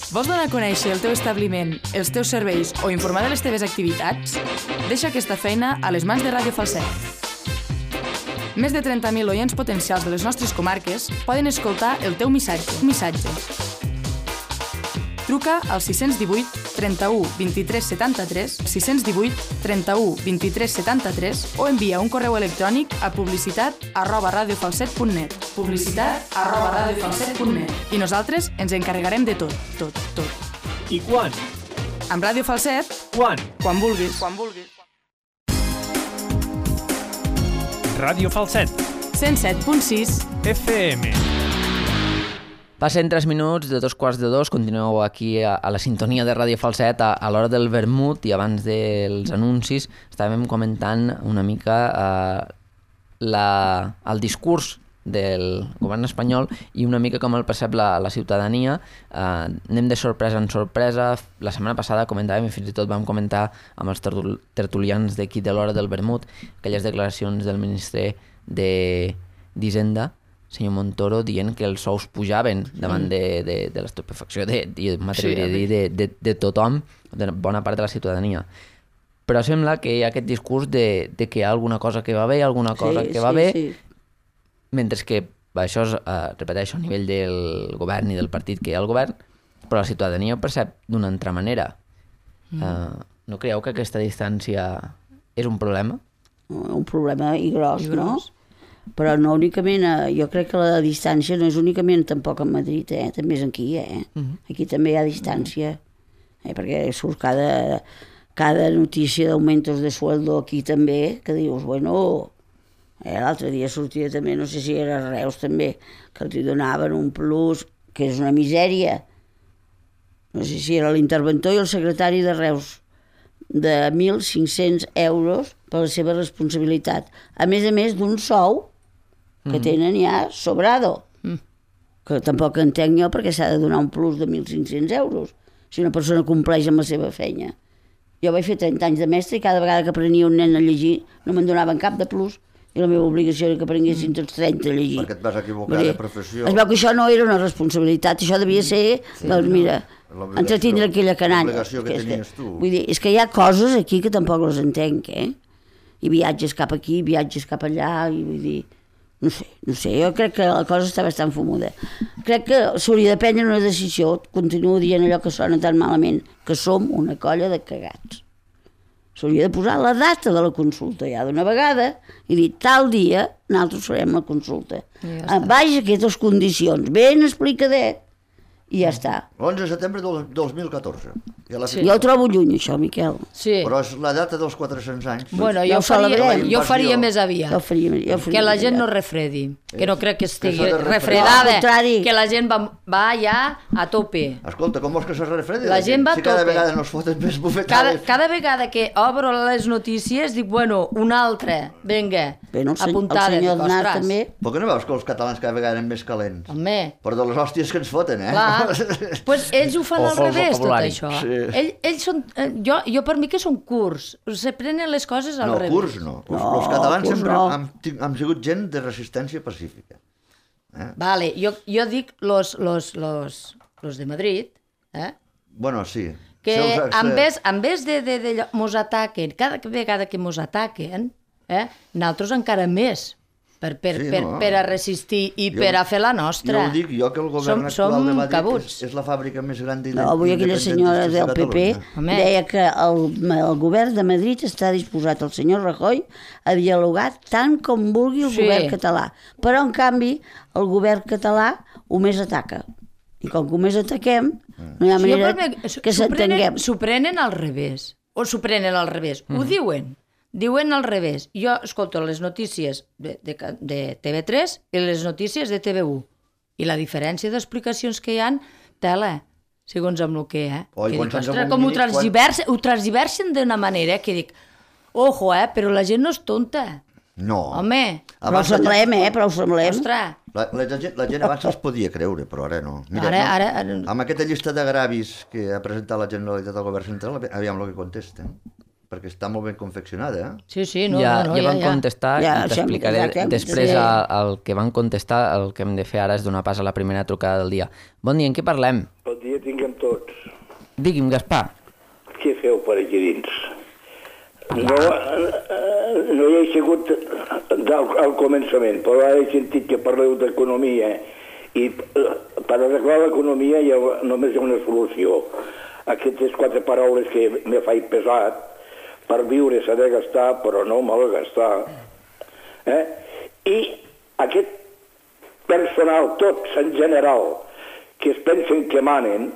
Vols donar a conèixer el teu establiment, els teus serveis o informar de les teves activitats? Deixa aquesta feina a les mans de Ràdio Falset. Més de trenta mil oients potencials de les nostres comarques poden escoltar el teu missatge. missatge. Truca al sis cents divuit trenta-u vint-i-tres setanta-tres, sis cents divuit trenta-u vint-i-tres setanta-tres o envia un correu electrònic a publicitat arroba radiofalset punt net. Publicitat arroba radiofalset punt net. I nosaltres ens encarregarem de tot, tot, tot. I quan? Amb Ràdio Falset, Quan? quan vulguis. Quan vulguis. Ràdio Falset. cent set punt sis F M. Passen tres minuts de dos quarts de dos, continueu aquí a, a la sintonia de Ràdio Falset a, a l'hora del vermut i abans dels anuncis estàvem comentant una mica eh, la, el discurs del govern espanyol i una mica com el percep la, la ciutadania. Eh, anem de sorpresa en sorpresa. La setmana passada comentàvem i fins i tot vam comentar amb els tertul tertulians d'aquí de l'hora del vermut aquelles declaracions del ministre d'Hisenda, senyor Montoro, dient que els sous pujaven davant de, de, de l'estupefacció de, de, m'atreviria a dir, de, de, de tothom, de bona part de la ciutadania. Però sembla que hi ha aquest discurs de, de que hi ha alguna cosa que va bé, alguna cosa sí, que va sí, bé, sí. Mentre que això es eh, repeteixo a nivell del govern i del partit que hi ha al govern, però la ciutadania ho percep d'una altra manera. Mm. Eh, no creieu que aquesta distància és un problema? Un problema i gros, I gros. no? Però no únicament, jo crec que la distància no és únicament tampoc a Madrid, eh? També és aquí, eh? Uh-huh. Aquí també hi ha distància, eh? Perquè surt cada, cada notícia d'augmentos de sueldo aquí també, que dius, bueno, eh? L'altre dia sortia també, no sé si era Reus també, que els donaven un plus, que és una misèria. No sé si era l'interventor i el secretari de Reus, de mil cinc-cents euros per la seva responsabilitat. A més a més d'un sou que tenen ja sobrado, mm. que tampoc entenc jo perquè s'ha de donar un plus de mil cinc-cents euros si una persona compleix amb la seva feina. Jo vaig fer trenta anys de mestre i cada vegada que aprenia un nen a llegir no me'n donaven cap de plus i la meva obligació era que aprenguessin tots trenta a llegir. Perquè et vas equivocar de professió. Es veu que això no era una responsabilitat, això devia ser, sí, doncs mira, entretindre aquella canalla. L'obligació que tenies tu. Vull dir, és que hi ha coses aquí que tampoc les entenc, eh? I viatges cap aquí, viatges cap allà, i vull dir... No sé, no sé, jo crec que la cosa està bastant fumuda. Crec que s'hauria de prendre una decisió, continuo dient allò que sona tan malament, que som una colla de cagats. S'hauria de posar la data de la consulta ja d'una vegada i dir, tal dia nosaltres farem la consulta. Ja baix aquestes condicions, ben explicadet, i ja està. l'onze de setembre del dos mil catorze. Ja sí. Jo ho trobo lluny, això, Miquel. Sí. Però és la data dels quatre-cents anys. Bueno, jo, ja faria, jo faria més aviat. Jo faria, jo faria que la gent no refredi. Que no crec que estigui que refredada. No, que la gent va, va ja a tope. Escolta, com vols que se refredi? La gent va a si tope. cada vegada no es foten més bufetades. Cada, cada vegada que obro les notícies dic, bueno, una altra, vinga, bueno, el apuntada. El senyor Aznar també. Però que no veus que els catalans cada vegada eren més calents? Home. Per de les hòsties que ens foten, eh? Clar. Pues ells ho fan al revés, tot això. Sí. Ell, ells són, jo, jo per mi que són curts, se prenen les coses al no, revés. Curts no, curts no. Els catalans curs sempre no. han, han sigut gent de resistència pacífica. Eh? Vale, jo, jo dic los, los, los, los de Madrid, eh? Bueno, sí. Que se us, en vez, en vez de, de, de, de mos ataquen, cada vegada que mos ataquen, eh, nosaltres encara més. Per, per, sí, per, no. per a resistir i jo, per a fer la nostra. Jo ho dic, jo que el govern som, actual som de Madrid és, és la fàbrica més gran d'independentista no, avui aquella senyora del P P deia que el, el govern de Madrid està disposat, el senyor Rajoy, a dialogar tant com vulgui el sí. govern català. Però, en canvi, el govern català ho més ataca. I com que ho més ataquem, no hi ha manera sí, que s'entenguem. S'ho prenen al revés. O s'ho prenen al revés. Mm. Ho diuen. Diuen al revés. Jo escolto les notícies de, de, de T V tres i les notícies de T V u. I la diferència d'explicacions que hi ha, tela, segons amb el que, eh? Oi, que dic, ostres, com ho transdiversen, quan... ho transdiversen d'una manera que dic, Ojo, eh, però la gent no és tonta. No. Home, Però ho Abans la gent- semblem, eh? Però ho semblem. ostres. La, la, gent, la gent abans els podia creure, però ara no. Ara- no, ara- ara- Amb aquesta llista d'agravis que ha presentat la Generalitat al Govern Central, aviam el que contesten. Perquè està molt ben confeccionada, eh? Sí, sí, no, ja, no, no, ja ja, van ja. contestar Ja, i t'explicaré sempre, exacte, després sí. el, el que van contestar. El que hem de fer ara és donar pas a la primera trucada del dia. Bon dia, en què parlem? Bon dia tinguem tots. Digui'm, Gaspar. Què feu per aquí dins? No, eh, no hi he sigut del, al començament, però ara he sentit que parleu d'economia i eh, per arreglar l'economia hi ha, només hi ha una solució. Aquestes quatre paraules que me faig pesat, per viure s'ha de gastar, però no malgastar. Eh? I aquest personal, tots en general, que es pensen que manen,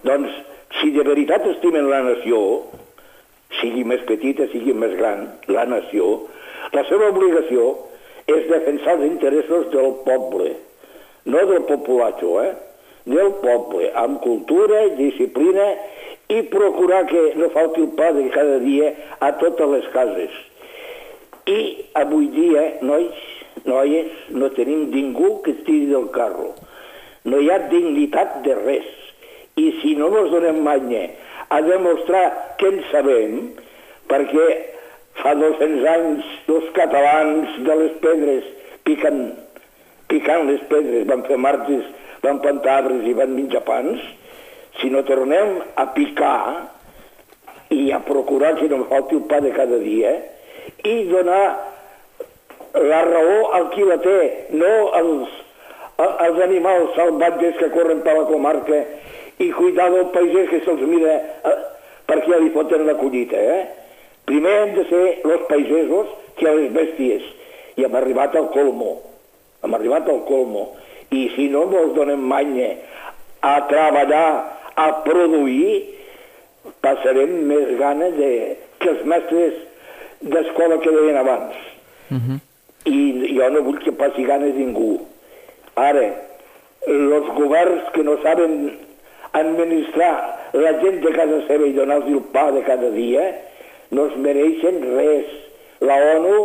doncs, si de veritat estimen la nació, sigui més petita, sigui més gran, la nació, la seva obligació és defensar els interessos del poble, no del populatxo, eh? del poble, amb cultura i disciplina i procurar que no falti el pa de cada dia a totes les cases. I avui dia, nois, noies, no tenim ningú que estiri del carro. No hi ha dignitat de res. I si no ens donem manya a demostrar que en sabem, perquè fa dos-cents anys els catalans de les pedres piquen, picant les pedres, van fer martes, van plantar arbres i van menjar pans, si no tornem a picar i a procurar que no falti el pa de cada dia i donar la raó al qui la té, no als, als animals salvatges que corren per la comarca i cuidar del paisès que se'ls mira eh, perquè ja li foten la collita. Eh? Primer hem de ser els pagesos que les bèsties i hem arribat al colmo, hem arribat al colmo. I si no ens donem manya a treballar, a produir, passarem més gana de, que els mestres d'escola que deien abans. Uh-huh. I jo no vull que passi gana ningú. Ara, els governs que no saben administrar la gent de casa seva i donar-los el pa de cada dia, no es mereixen res. La ONU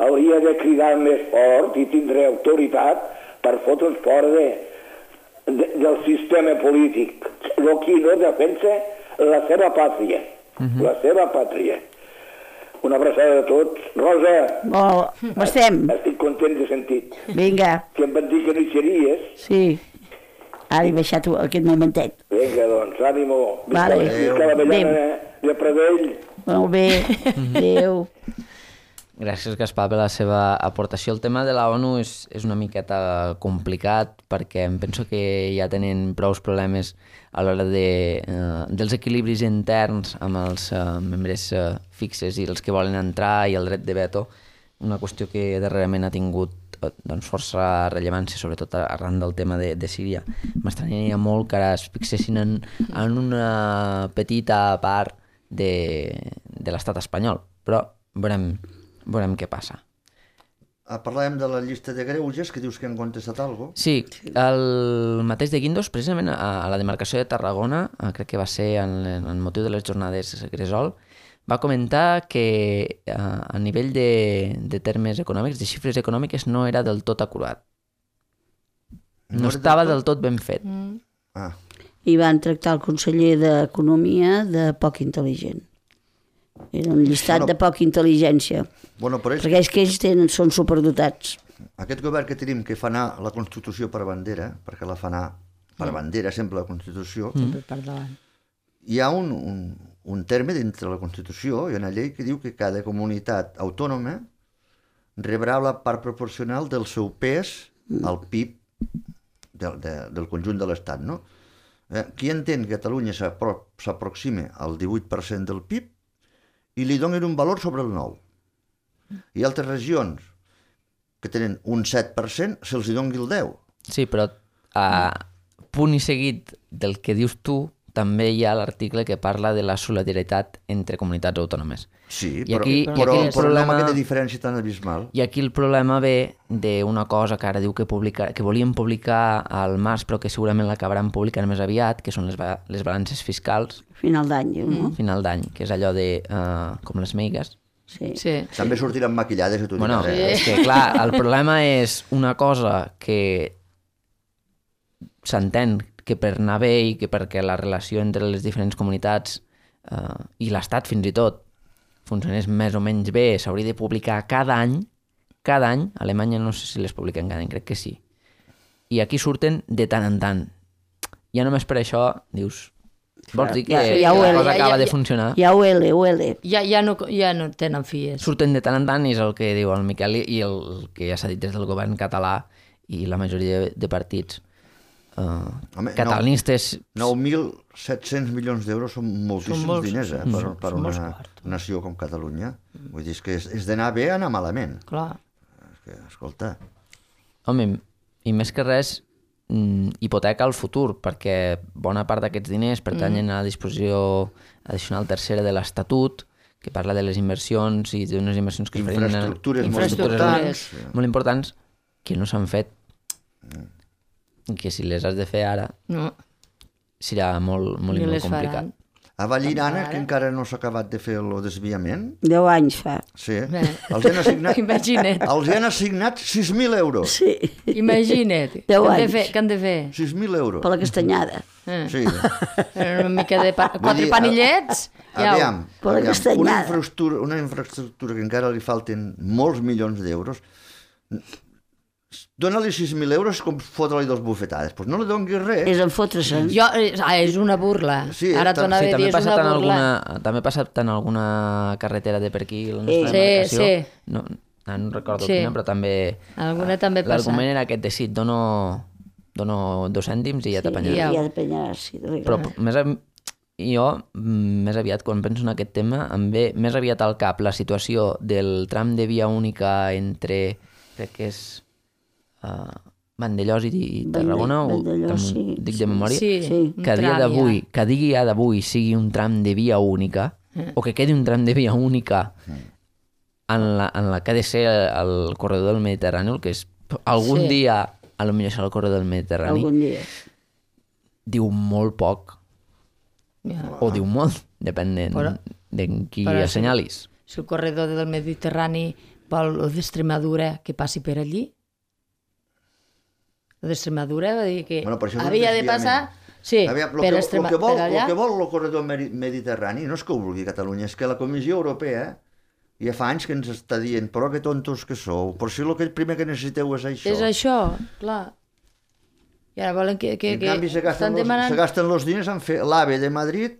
hauria de cridar més fort i tindre autoritat per fotre's fora de, de, del sistema polític. El qui no defensa la seva pàtria. Uh-huh. La seva pàtria. Una abraçada a tots. Rosa, Molt, com estem? estic content de sentit. Vinga, Que em van dir que no hi series. sí. Ara he baixat aquest momentet. Vinga, doncs, ànimo. Vale. Visca la Avellana de Pradell. Molt bé, adéu. Gràcies, Gaspar, per la seva aportació. El tema de la ONU és, és una miqueta complicat perquè em penso que ja tenen prous problemes a l'hora de, eh, dels equilibris interns amb els eh, membres eh, fixes i els que volen entrar i el dret de veto, una qüestió que darrerament ha tingut eh, doncs, força rellevància, sobretot arran del tema de, de Síria. M'estranyaria molt que ara es fixessin en, en una petita part de, de l'estat espanyol, però veurem veurem què passa. Ah, parlàvem de la llista de greuges, que dius que han contestat alguna cosa. Sí, el mateix de Guindos, precisament a, a la demarcació de Tarragona, eh, crec que va ser en, en motiu de les jornades Gresol, va comentar que eh, a nivell de, de termes econòmics, de xifres econòmiques, no era del tot acurat. No, No era estava del del tot ben fet. Mm. Ah, I van tractar el conseller d'Economia de poc intel·ligent. Era un llistat Bueno. de poca intel·ligència, bueno, però és perquè és que ells tenen, són superdotats. aquest govern que tenim que fa anar la Constitució per bandera, perquè la fa anar per bandera sempre la Constitució, Sempre per davant. hi ha un, un, un terme dintre la Constitució, hi ha una llei que diu que cada comunitat autònoma rebrà la part proporcional del seu pes al P I B del, de, del conjunt de l'Estat, no? Eh, qui entén que Catalunya s'apro- s'aproxima al divuit per cent del P I B i li donen un valor sobre el nou. Hi ha altres regions que tenen un set per cent, se'ls hi doni el deu. Sí, però a punt i seguit del que dius tu, també hi ha l'article que parla de la solidaritat entre comunitats autònomes. Sí, I però, aquí, i però, aquí el però problema... no amb aquesta diferència tan abismal. I aquí el problema ve d'una cosa que ara diu que, publica, que volien publicar al març, però que segurament l'acabaran publicant més aviat, que són les, ba les balances fiscals. Final d'any, diu, no? Final d'any, que és allò de... Uh, com les meigues. Sí. Sí. També sortiran maquillades i tot. Bueno, i és que clar, el problema és una cosa que s'entén que per anar bé i que perquè la relació entre les diferents comunitats uh, i l'Estat fins i tot funcionés més o menys bé, s'hauria de publicar cada any, cada any, a Alemanya no sé si les publiquen cada any, crec que sí. I aquí surten de tant en tant. Ja només per això dius, vols dir que Ja, ja la huele, cosa ja, acaba ja, de funcionar? Ja huele, huele. Ja, ja, no, ja no tenen fies. Surten de tant en tant i és el que diu el Miquel i el que ja s'ha dit des del govern català i la majoria de partits uh, Home, catalanistes. nou mil set-cents milions d'euros són moltíssims molts, diners eh, per, per són una molts quartos. nació com Catalunya. Vull dir, és que és, és d'anar bé a anar malament. Clar. És que, escolta, Home, i més que res, mm, hipoteca el futur, perquè bona part d'aquests diners pertanyen a la disposició addicional tercera de l'Estatut, que parla de les inversions i d'unes inversions que es farien en- infraestructures, infraestructures molt importants. molt importants que no s'han fet i que si les has de fer ara No. serà molt, molt, i Ni molt les complicat. faran. a Vallirana, que encara no s'ha acabat de fer el desviament, Deu anys fa. sí, Bé. els han assignat, Imagina't. els han assignat sis mil euros. Sí, Imagina't. Deu Què han de anys. fer? Què han de fer? sis mil euros. per la castanyada. Eh. Sí. Una mica de pa... quatre dir, panillets. Ja ho- Aviam, Per la aviam, una, castanyada. infraestructura, una infraestructura que encara li falten molts milions d'euros, dóna-li sis mil euros com fotre-li dos bufetades. Doncs pues no li donguis res. És en fotre-se'n. Jo, ah, és una burla. Sí, Ara tam- t'ho anava Sí, a també dir, ha és passat una en burla. alguna, també ha passat en alguna carretera de per aquí, la nostra Sí, demarcació. sí. No, no, no recordo Sí. quina, però també... Alguna també ha passat. L'argument era aquest de sí, dono, dono dos cèntims i ja t'apanyaràs. ja. Ja depenyaràs, sí. de Però veritat. més, av- jo, mm, més aviat, quan penso en aquest tema, em ve més aviat al cap la situació del tram de via única entre, crec que és uh, Vandellós i, i Tarragona, o Vandellós, em- sí, dic sí. de memòria, Sí, Sí. un que a dia tram d'avui, ja. que a dia d'avui sigui un tram de via única, o que quedi un tram de via única en la, en la que ha de ser el, el corredor del Mediterrani, el que és algun Sí. dia, a lo millor serà el corredor del Mediterrani, Algun dia. diu molt poc, Ja. o diu molt, depèn de, Però- de qui però si- assenyalis. Si el corredor del Mediterrani vol el d'Extremadura que passi per allí, el d'Extremadura va dir que Bueno, però això és un havia de desviament. passar sí, Aviam, lo per, que, Extrema, lo que vol, per allà. lo que vol el corredor meri- mediterrani no és que ho vulgui Catalunya, és que la Comissió Europea ja fa anys que ens està dient però que tontos que sou, però si el que primer que necessiteu és això. És això, clar. I ara volen que... que, en que canvi se gasten, estan los, demanant... se gasten los diners en fer l'AVE de Madrid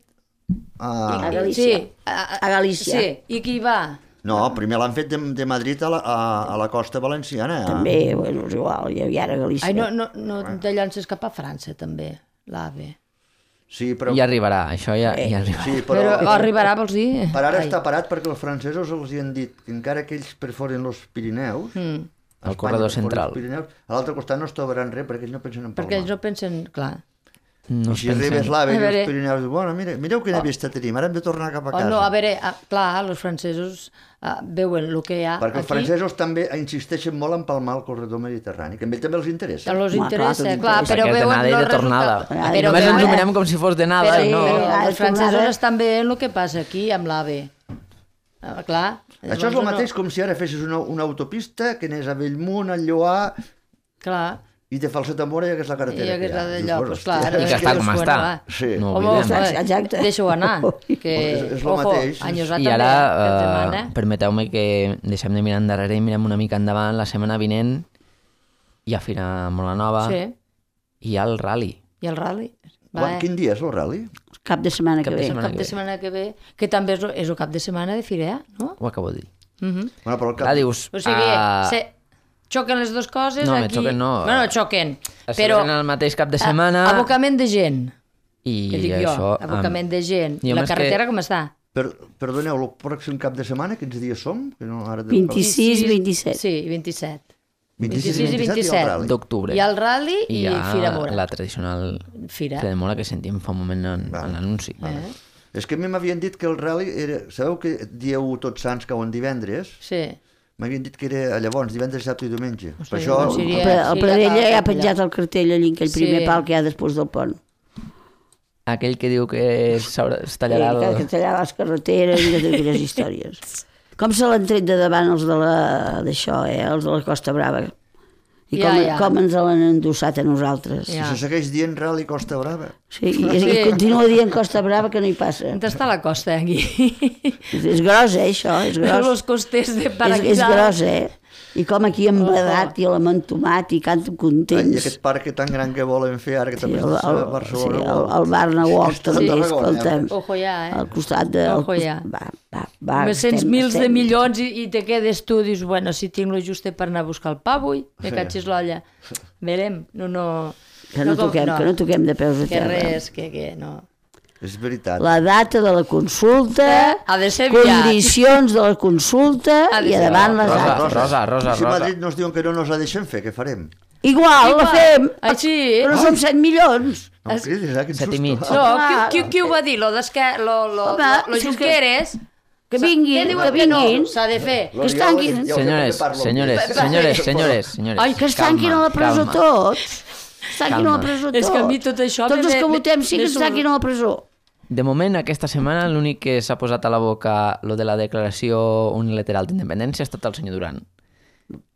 a... A Galícia. Sí, a, A Galícia. Sí, i qui va? No, primer l'han fet de, de Madrid a la, a, a la costa valenciana. També, bueno, és igual, ja, ja era Galícia. Ai, no, no, no te llances cap a França, també, l'AVE. Sí, però, Ja arribarà, això ja, ja arribarà. sí, Però, però, però arribarà, vols dir? per ara Ai. està parat perquè els francesos els hi han dit que encara que ells perforen els Pirineus, Mm. a El Espanya corredor perforen central. els Pirineus, a l'altre costat no es trobaran res perquè ells no pensen en palmar. Perquè ells no pensen... Clar. No I es si pensen- arribes l'AVE i A veure- els Pirineus, diu, bueno, mire, mireu quina vista tenim, ara hem de tornar cap a O casa. no, a veure, ah, clar, els francesos ah, veuen el que hi ha Perquè els aquí. francesos també insisteixen molt en palmar el corredor mediterrani, que a ells també els interessa. Els Home, interessa, clar, tot clar, interessa. però Perquè és veuen d'anada i de los tornada. resultats. Però Només veuen- ens ho mirem com si fos d'anada. Però, no. però Ah, els és francesos tornada. estan veient el que passa aquí amb l'AVE. Ah, clar. Això és el mateix com si ara fessis una, una autopista que anés a Bellmunt, a Lloar, clar. i te fa el Setamora i hagués la I carretera. hagués que hi ha. la Dius, d'allò, bueno, doncs clar. hòstia, I que està com Bueno, està. va. Sí. No Home, oblidem. home, Exacte. deixa-ho anar. Que, És- és lo ojo, mateix. anys va I també, ara, que et eh, demana. permeteu-me que deixem de mirar endarrere i mirem una mica endavant. La setmana vinent hi ha Fira molt la Nova Sí, i hi ha el rally. i el rally. Va, Quan, eh? quin dia és el rally? Cap de setmana Cap que de ve. setmana. Cap de setmana que ve, que també és, és el cap de setmana de Firea, no? Ho acabo de dir. Uh -huh. Bueno, però el cap... Clar, dius... O sigui, ah, se, xoquen les dues coses No, me aquí... xoquen no. Bueno, xoquen, es però... celebren el mateix cap de setmana a- Abocament de gent, i que dic això... jo, abocament de gent. jo La més que- carretera com està? Per, perdoneu, el pròxim cap de setmana, quins dies som? Que no, ara... vint-i-sis, vint-i-set. Sí, vint-i-set. vint-i-sis vint-i-sis i i vint-i-set. el rally. d'octubre. Hi ha el rally i, I hi ha Fira Mora. la tradicional Fira. Fira de Mora que sentim fa un moment en, Vale. en l'anunci. Eh? És que a mi m'havien dit que el rally era... Sabeu que dia u Tots Sants cauen divendres? Sí. M'havien dit que era llavors, divendres, dissabte i diumenge. Hosti, Per això... doncs seria- El, el sí, Pradella ja ja ha cal- penjat el cartell allí, aquell Sí. primer pal que hi ha després del pont. Aquell que diu que s'haurà- es tallarà Sí, el... que tallar les carreteres i totes aquelles històries. Com se l'han tret de davant els de la- d'això, eh? Els de la Costa Brava. I Ja, com, ja. com ens l'han endossat a nosaltres. I Ja. se segueix dient Rally Costa Brava. Sí, i, i Sí. continua dient Costa Brava que no hi passa. On està la costa, aquí? És gros, eh, això, és gros. Los costers de És, Paraguay. és gros, eh? I com aquí embadat i l'amantomat i canten I contents. aquest parc tan gran que volen fer ara, que Sí, també el, està el, a Barcelona. sí, el, el Barna Walk Està a també, Tarragona, escolta'm. Ojo ja, eh? Al costat de... al Ojo cos- ja. Va, va, va. Més cents estem- mils de estem- milions i, i te quedes tu, dius, bueno, si tinc lo juste per anar a buscar el pa avui, me Sí. catxis l'olla. Verem, no, no... Que no, com- toquem, que no toquem de peus a Que terra. res, que, que no. És veritat. La data de la consulta, Eh, ha de ser aviat. condicions de la consulta Ha de i ser a davant les Rosa, altres. Rosa, Rosa, I si a Rosa. Madrid nos diuen que no nos la deixen fer, què farem? Igual, la fem, Així, però som set milions. No em cridis, eh? Quin Set i susto. mig. no, Clar. qui, qui, qui ho va dir? Lo d'esquer... Lo, lo, Home, lo, lo si és que- Junqueres... Que vinguin, Què diuen que que no? vinguin. S'ha de fer. Que es tanquin. Senyores, senyores, senyores, senyores, senyores. Ai, que es tanquin a la presó calma. tots. Es tanquin a la Calma. presó tots. És que a mi tot això Tots me- els que me- votem sí que me es surt- tanquin a la presó. De moment, aquesta setmana, l'únic que s'ha posat a la boca lo de la declaració unilateral d'independència ha estat el senyor Duran.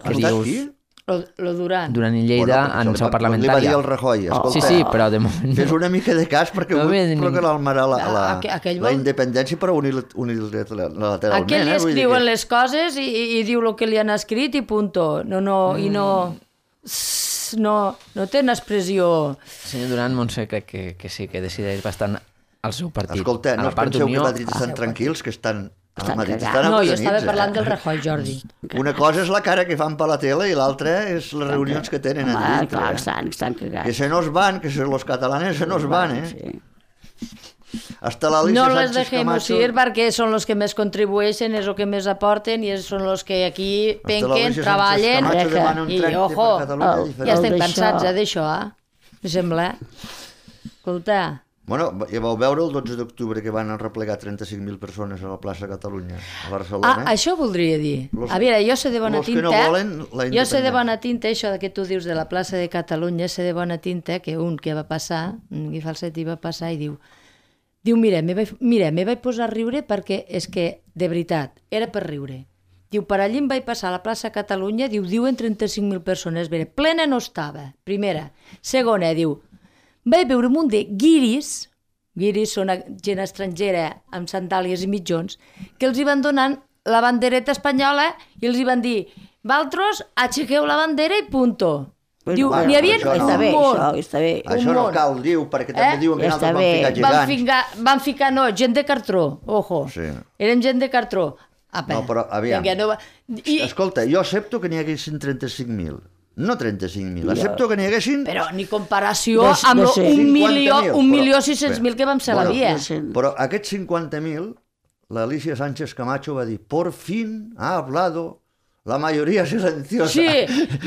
Ha estat qui? Lo, lo Duran. Duran i Lleida Bueno, en això seu li va- parlamentària. Li va dir el Rajoy, escolta, Sí, sí, però de moment... fes una mica de cas perquè No vull ve de ningú. proclamar la, la, la, Aqu- aquell la vol- independència però unil- unilateralment. Aquell li eh? Vull dir escriuen que- les coses i, i, i diu el que li han escrit i punto. No, no, i no... s- No, no té una expressió... El senyor Duran, Montse, crec que, que sí, que decideix bastant al seu partit. Escolta, a no la us part penseu que a d'Unió. Madrid estan tranquils, que estan... A Estan Madrid cagats. estan No, jo acolonits, estava eh? parlant del Rajoy, Jordi. Una cosa és la cara que fan per la tele i l'altra és les reunions que tenen a Ah, dintre. clar, eh? estan, estan Que cagats. se nos van, que se los catalanes se nos van, eh? Sí. Hasta la Alicia No les Sánchez dejemos Camacho... ir perquè són los que més contribueixen, és el que més aporten i són los que aquí Hasta la penquen, Alicia Sánchez treballen Camacho demana un i, tracte ojo, per Catalunya el- diferent. ja estem d'això- cansats eh, d'això, eh? Me sembla. Escolta, Bueno, ja vau veure el dotze d'octubre que van replegar trenta-cinc mil persones a la plaça Catalunya, a Barcelona. ah, això voldria dir. Los- A veure, jo sé de bona los que tinta... no volen la jo sé de independència. bona tinta, això que tu dius de la plaça de Catalunya, sé de bona tinta que un que va passar, un Guy Falsetti va passar i diu diu, mira, me vaig, mira, me vaig posar a riure perquè és que, de veritat, era per riure. Diu, per allí em vaig passar a la plaça Catalunya, diu, diuen trenta-cinc mil persones, bé, plena no estava, primera. Segona, diu, vaig veure un munt de guiris, guiris són gent estrangera amb sandàlies i mitjons, que els hi van donant la bandereta espanyola i els hi van dir, valtros, aixequeu la bandera i punto. Diu, bueno, n'hi havia això no. Està bé, un munt. això, està bé. Això un no món. cal, diu, perquè també Eh? diuen que Ja nosaltres està vam bé. ficar Van gegants. ficar, van ficar, no, gent de cartró, ojo. Sí. Érem gent de cartró. Apa, No, però, aviam. vinga, no va... I, Escolta, jo accepto que n'hi haguessin trenta-cinc mil. No trenta-cinc mil, accepto que n'hi haguessin... però ni comparació Dos- amb dos- lo un cinquanta milió, mil, un però- milió sis-cents mil que vam ser a la Bueno, via. no sé. Però aquests cinquanta mil, l'Alicia Sánchez Camacho va dir, por fin ha hablado la mayoría silenciosa. Sí,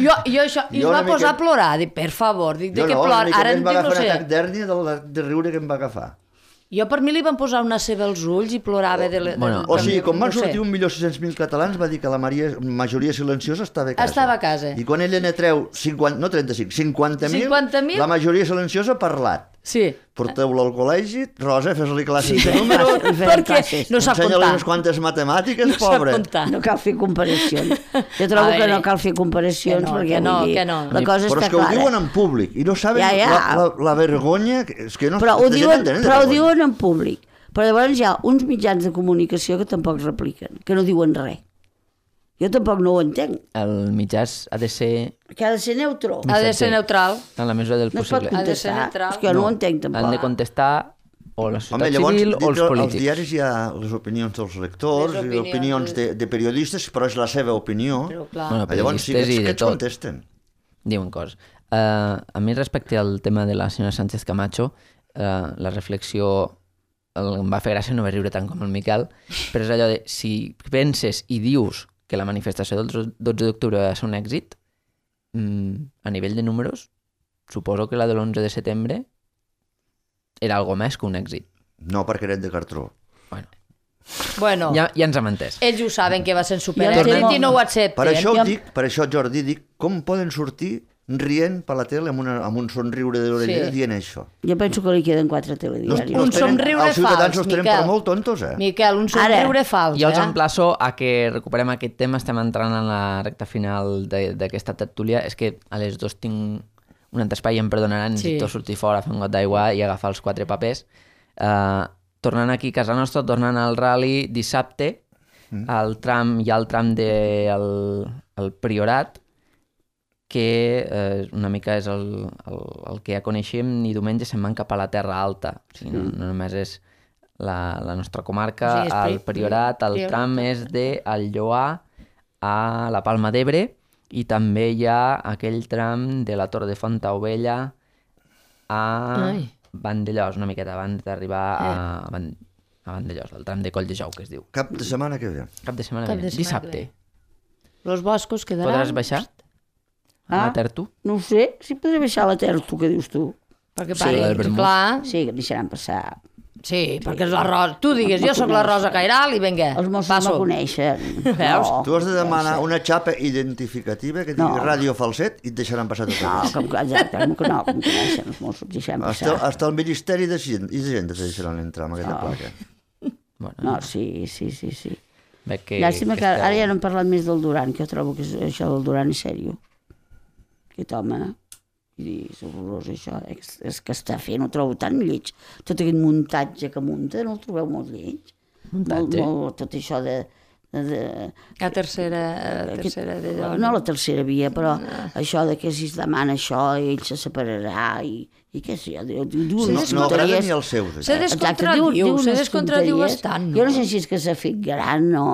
jo, jo això, i Jo es va una mica- posar a plorar, dic, per favor, dic, de Jo què no, una plora? mica Ara més em va dic, no agafar un atac sé. d'hèrnia de, de riure que em va agafar. Jo per mi li van posar una ceba als ulls i plorava de... de, Bueno, de, O sigui, quan van no sé. sortir un milió sis-cents mil catalans va dir que la maria- majoria silenciosa estava a casa. Estava a casa. I quan ella ne treu cinquanta, no trenta-cinc, cinquanta mil, cinquanta mil, la majoria silenciosa ha parlat. Sí, Porteu-lo al col·legi, Rosa, fes-li classes de números, Classes, fem perquè classes. no sap ensenya-li comptar. unes quantes matemàtiques, No sap pobre. comptar. No cal fer comparacions. Jo trobo A que veure, no cal fer comparacions que no, perquè que no, vull dir, que no. la cosa Però està és que ho clara. diuen en públic i no saben Ja, ja. La, la, la vergonya... que- És que no, Però ho la gent diuen, no entén de però ho vergonya. diuen en públic. Però llavors hi ha uns mitjans de comunicació que tampoc repliquen, que no diuen res. Jo tampoc no ho entenc. El mitjàs ha de ser Que ha de ser neutre. Ha de ser neutral. en la mesura del No es pot possible. Ha de ser contestar. neutral. És que jo no, No, ho entenc tampoc. Han de contestar o la Home, societat llavors, civil o els dintre als polítics. diaris hi ha les opinions dels lectors, Les les opinions opinions de, de periodistes, però és la seva opinió. Però clar, Bueno, Llavors, sí, periodistes aquests, i de aquests tot. contesten. Diuen coses. Uh, a mi, respecte al tema de la senyora Sánchez Camacho, uh, la reflexió el, em va fer gràcia no va riure tant com el Miquel, però és allò de, si penses i dius que la manifestació del dotze d'octubre va ser un èxit, mm, a nivell de números, suposo que la de l'onze de setembre era algo més que un èxit. No, perquè eren de cartró. Bueno, Bueno, ja, ja ens hem entès. ells ho saben que va ser super Ja èxit temo- i no ho accepten. Per això, Jo- ho dic, per això, Jordi, dic, com poden sortir rient per la tele amb, una, amb un somriure de l'orella Sí. dient això? Jo penso que li queden quatre No, telediaris. Un els tenen- somriure els ciutadans fals, els tenen Miquel. per molt tontos, eh? Miquel, un somriure fals, Jo els eh? emplaço a que recuperem aquest tema, estem entrant en la recta final de- d'aquesta tertúlia. És que a les dos tinc un altre espai, em perdonaran, Sí. necessito sortir fora, fer un got d'aigua i agafar els quatre papers. Uh, tornant aquí a casa nostra, tornant al rally dissabte, mm. el tram, hi ha el tram del de, el Priorat, que eh, una mica és el, el, el que ja coneixem, i diumenge se'n van cap a la Terra Alta. O sigui, no, no només és la, la nostra comarca, O sigui, és el pri- Priorat, el Priorat. tram és de el Lloar a la Palma d'Ebre, i també hi ha aquell tram de la Torre de Fontaubella a Ai. Vandellós, una miqueta abans d'arribar a, Van, a Vandellós, el tram de Coll de Jou, que es diu. Cap de setmana que ve. Cap de setmana Cap que de ve, setmana dissabte. que Los boscos quedaran... Podràs baixar a Ah. la Tertu? No ho sé, si podré baixar la terra, tu que dius tu. Perquè Sí, pari, el vermut. clar, Sí, que em deixaran passar. sí, perquè és la Rosa. Tu digues, jo sóc la Rosa Cairal i vinga, Els Mossos passo. me coneixen. Veus? No, Tu has de demanar una xapa identificativa que digui No. ràdio falset i et deixaran passar tot no, el com que, exacte, com que no, com que coneixen els Mossos, deixaran Hasta, passar. hasta el Ministeri de Hisenda te deixaran entrar amb aquesta placa. Bueno, No, sí, sí, sí, sí. veig que... Llàstima que esteu- ara ja no hem parlat més del Duran, que jo trobo que és, això del Duran és sèrio. Aquest home, i és horrorós això, és, és que està fent, ho trobo tan lleig. Tot aquest muntatge que munta, no el trobeu molt lleig? Muntatge? Molt, molt, tot això de... de, de La tercera, la aquest- tercera de dona. no la tercera via, però això de que si es demana això, ell se separarà, i, i què sé, diu, diu No, unes no agrada tonteries. ni els seus, Se això. descontradiu, se unes descontradiu tonteries. bastant, no? Jo no sé si és que s'ha fet gran o...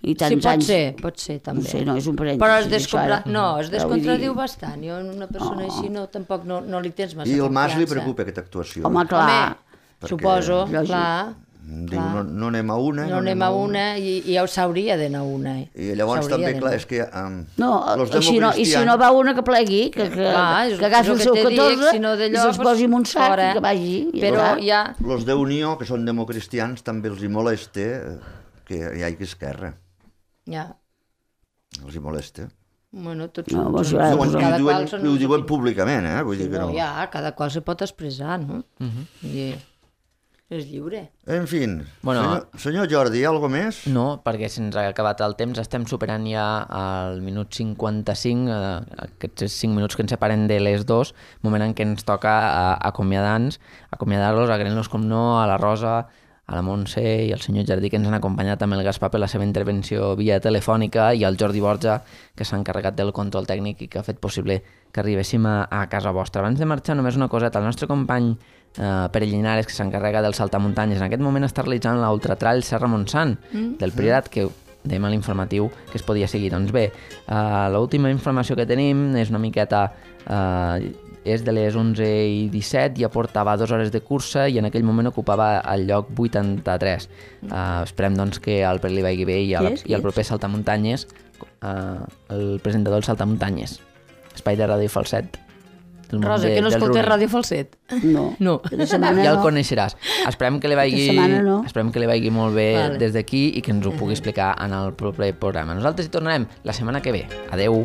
I Sí, tants pot anys... ser, pot ser, també. No sé, no, és un parèntesi. Però es això descompra... ara. No, es Però vull descontradiu dir- bastant. Jo, una persona així, no, tampoc no, no li tens massa I el Mas li confiança. preocupa aquesta actuació. Home, clar. Home, Perquè- suposo, Lògic. clar. Diu, no, no anem a una, No anem a una i, i ja s'hauria d'anar a una. eh. I llavors S'hauria també, d'anar. clar, és que... Um, No, los i si no, i si no va una que plegui, que, que, Clar, és- que agafi és el el seu que t'he dit, catorze si no i d'allò, se'ls pues, posi en un sac fora. i que vagi. I Però ja. ja... Los d'Unió, que són democristians, també els hi molesta eh, que hi hagi esquerra. ja. Els hi molesta. Bueno, tots No, són... vos són- agrada Diuen, posar- i ho cada diuen, qual són i ho les diuen opinions. públicament, eh? Vull dir que No, no. ja, cada qual se pot expressar, no? Uh -huh. I és lliure. En fi, Bueno, senyor, senyor Jordi, hi ha alguna més? No, perquè se'ns ha acabat el temps, estem superant ja el minut cinquanta-cinc, eh, aquests cinc minuts que ens separen de les dos, moment en què ens toca eh, acomiadar-nos, acomiadar-los, agraint-los com no a la Rosa, a la Montse i al senyor Jardí, que ens han acompanyat amb el Gaspar per la seva intervenció via telefònica, i al Jordi Borja, que s'ha encarregat del control tècnic i que ha fet possible que arribéssim a, a casa vostra. Abans de marxar, només una coseta, el nostre company eh, Pere Llinares, que s'encarrega del saltamuntanyes, en aquest moment està realitzant l'ultratrall Serra Montsant mm. del Priorat, que dèiem a l'informatiu que es podia seguir. Doncs bé, uh, l'última informació que tenim és una miqueta... Uh, és de les onze i disset, ja portava dues hores de cursa i en aquell moment ocupava el lloc vuitanta-tres. Uh, esperem doncs que al Pere li vagi bé i, a la, Qui és? i al Qui proper Saltamuntanyes, uh, el presentador del Saltamuntanyes, espai de Ràdio Falset. del món Rosa, de- que no del escoltes running. Ràdio Falset. No. No. Aquesta setmana Ja el no. coneixeràs. Esperem que li vagi, Aquesta setmana no. esperem que li vagi molt bé Vale. des d'aquí i que ens ho pugui explicar en el proper programa. Nosaltres hi tornarem la setmana que ve. Adeu!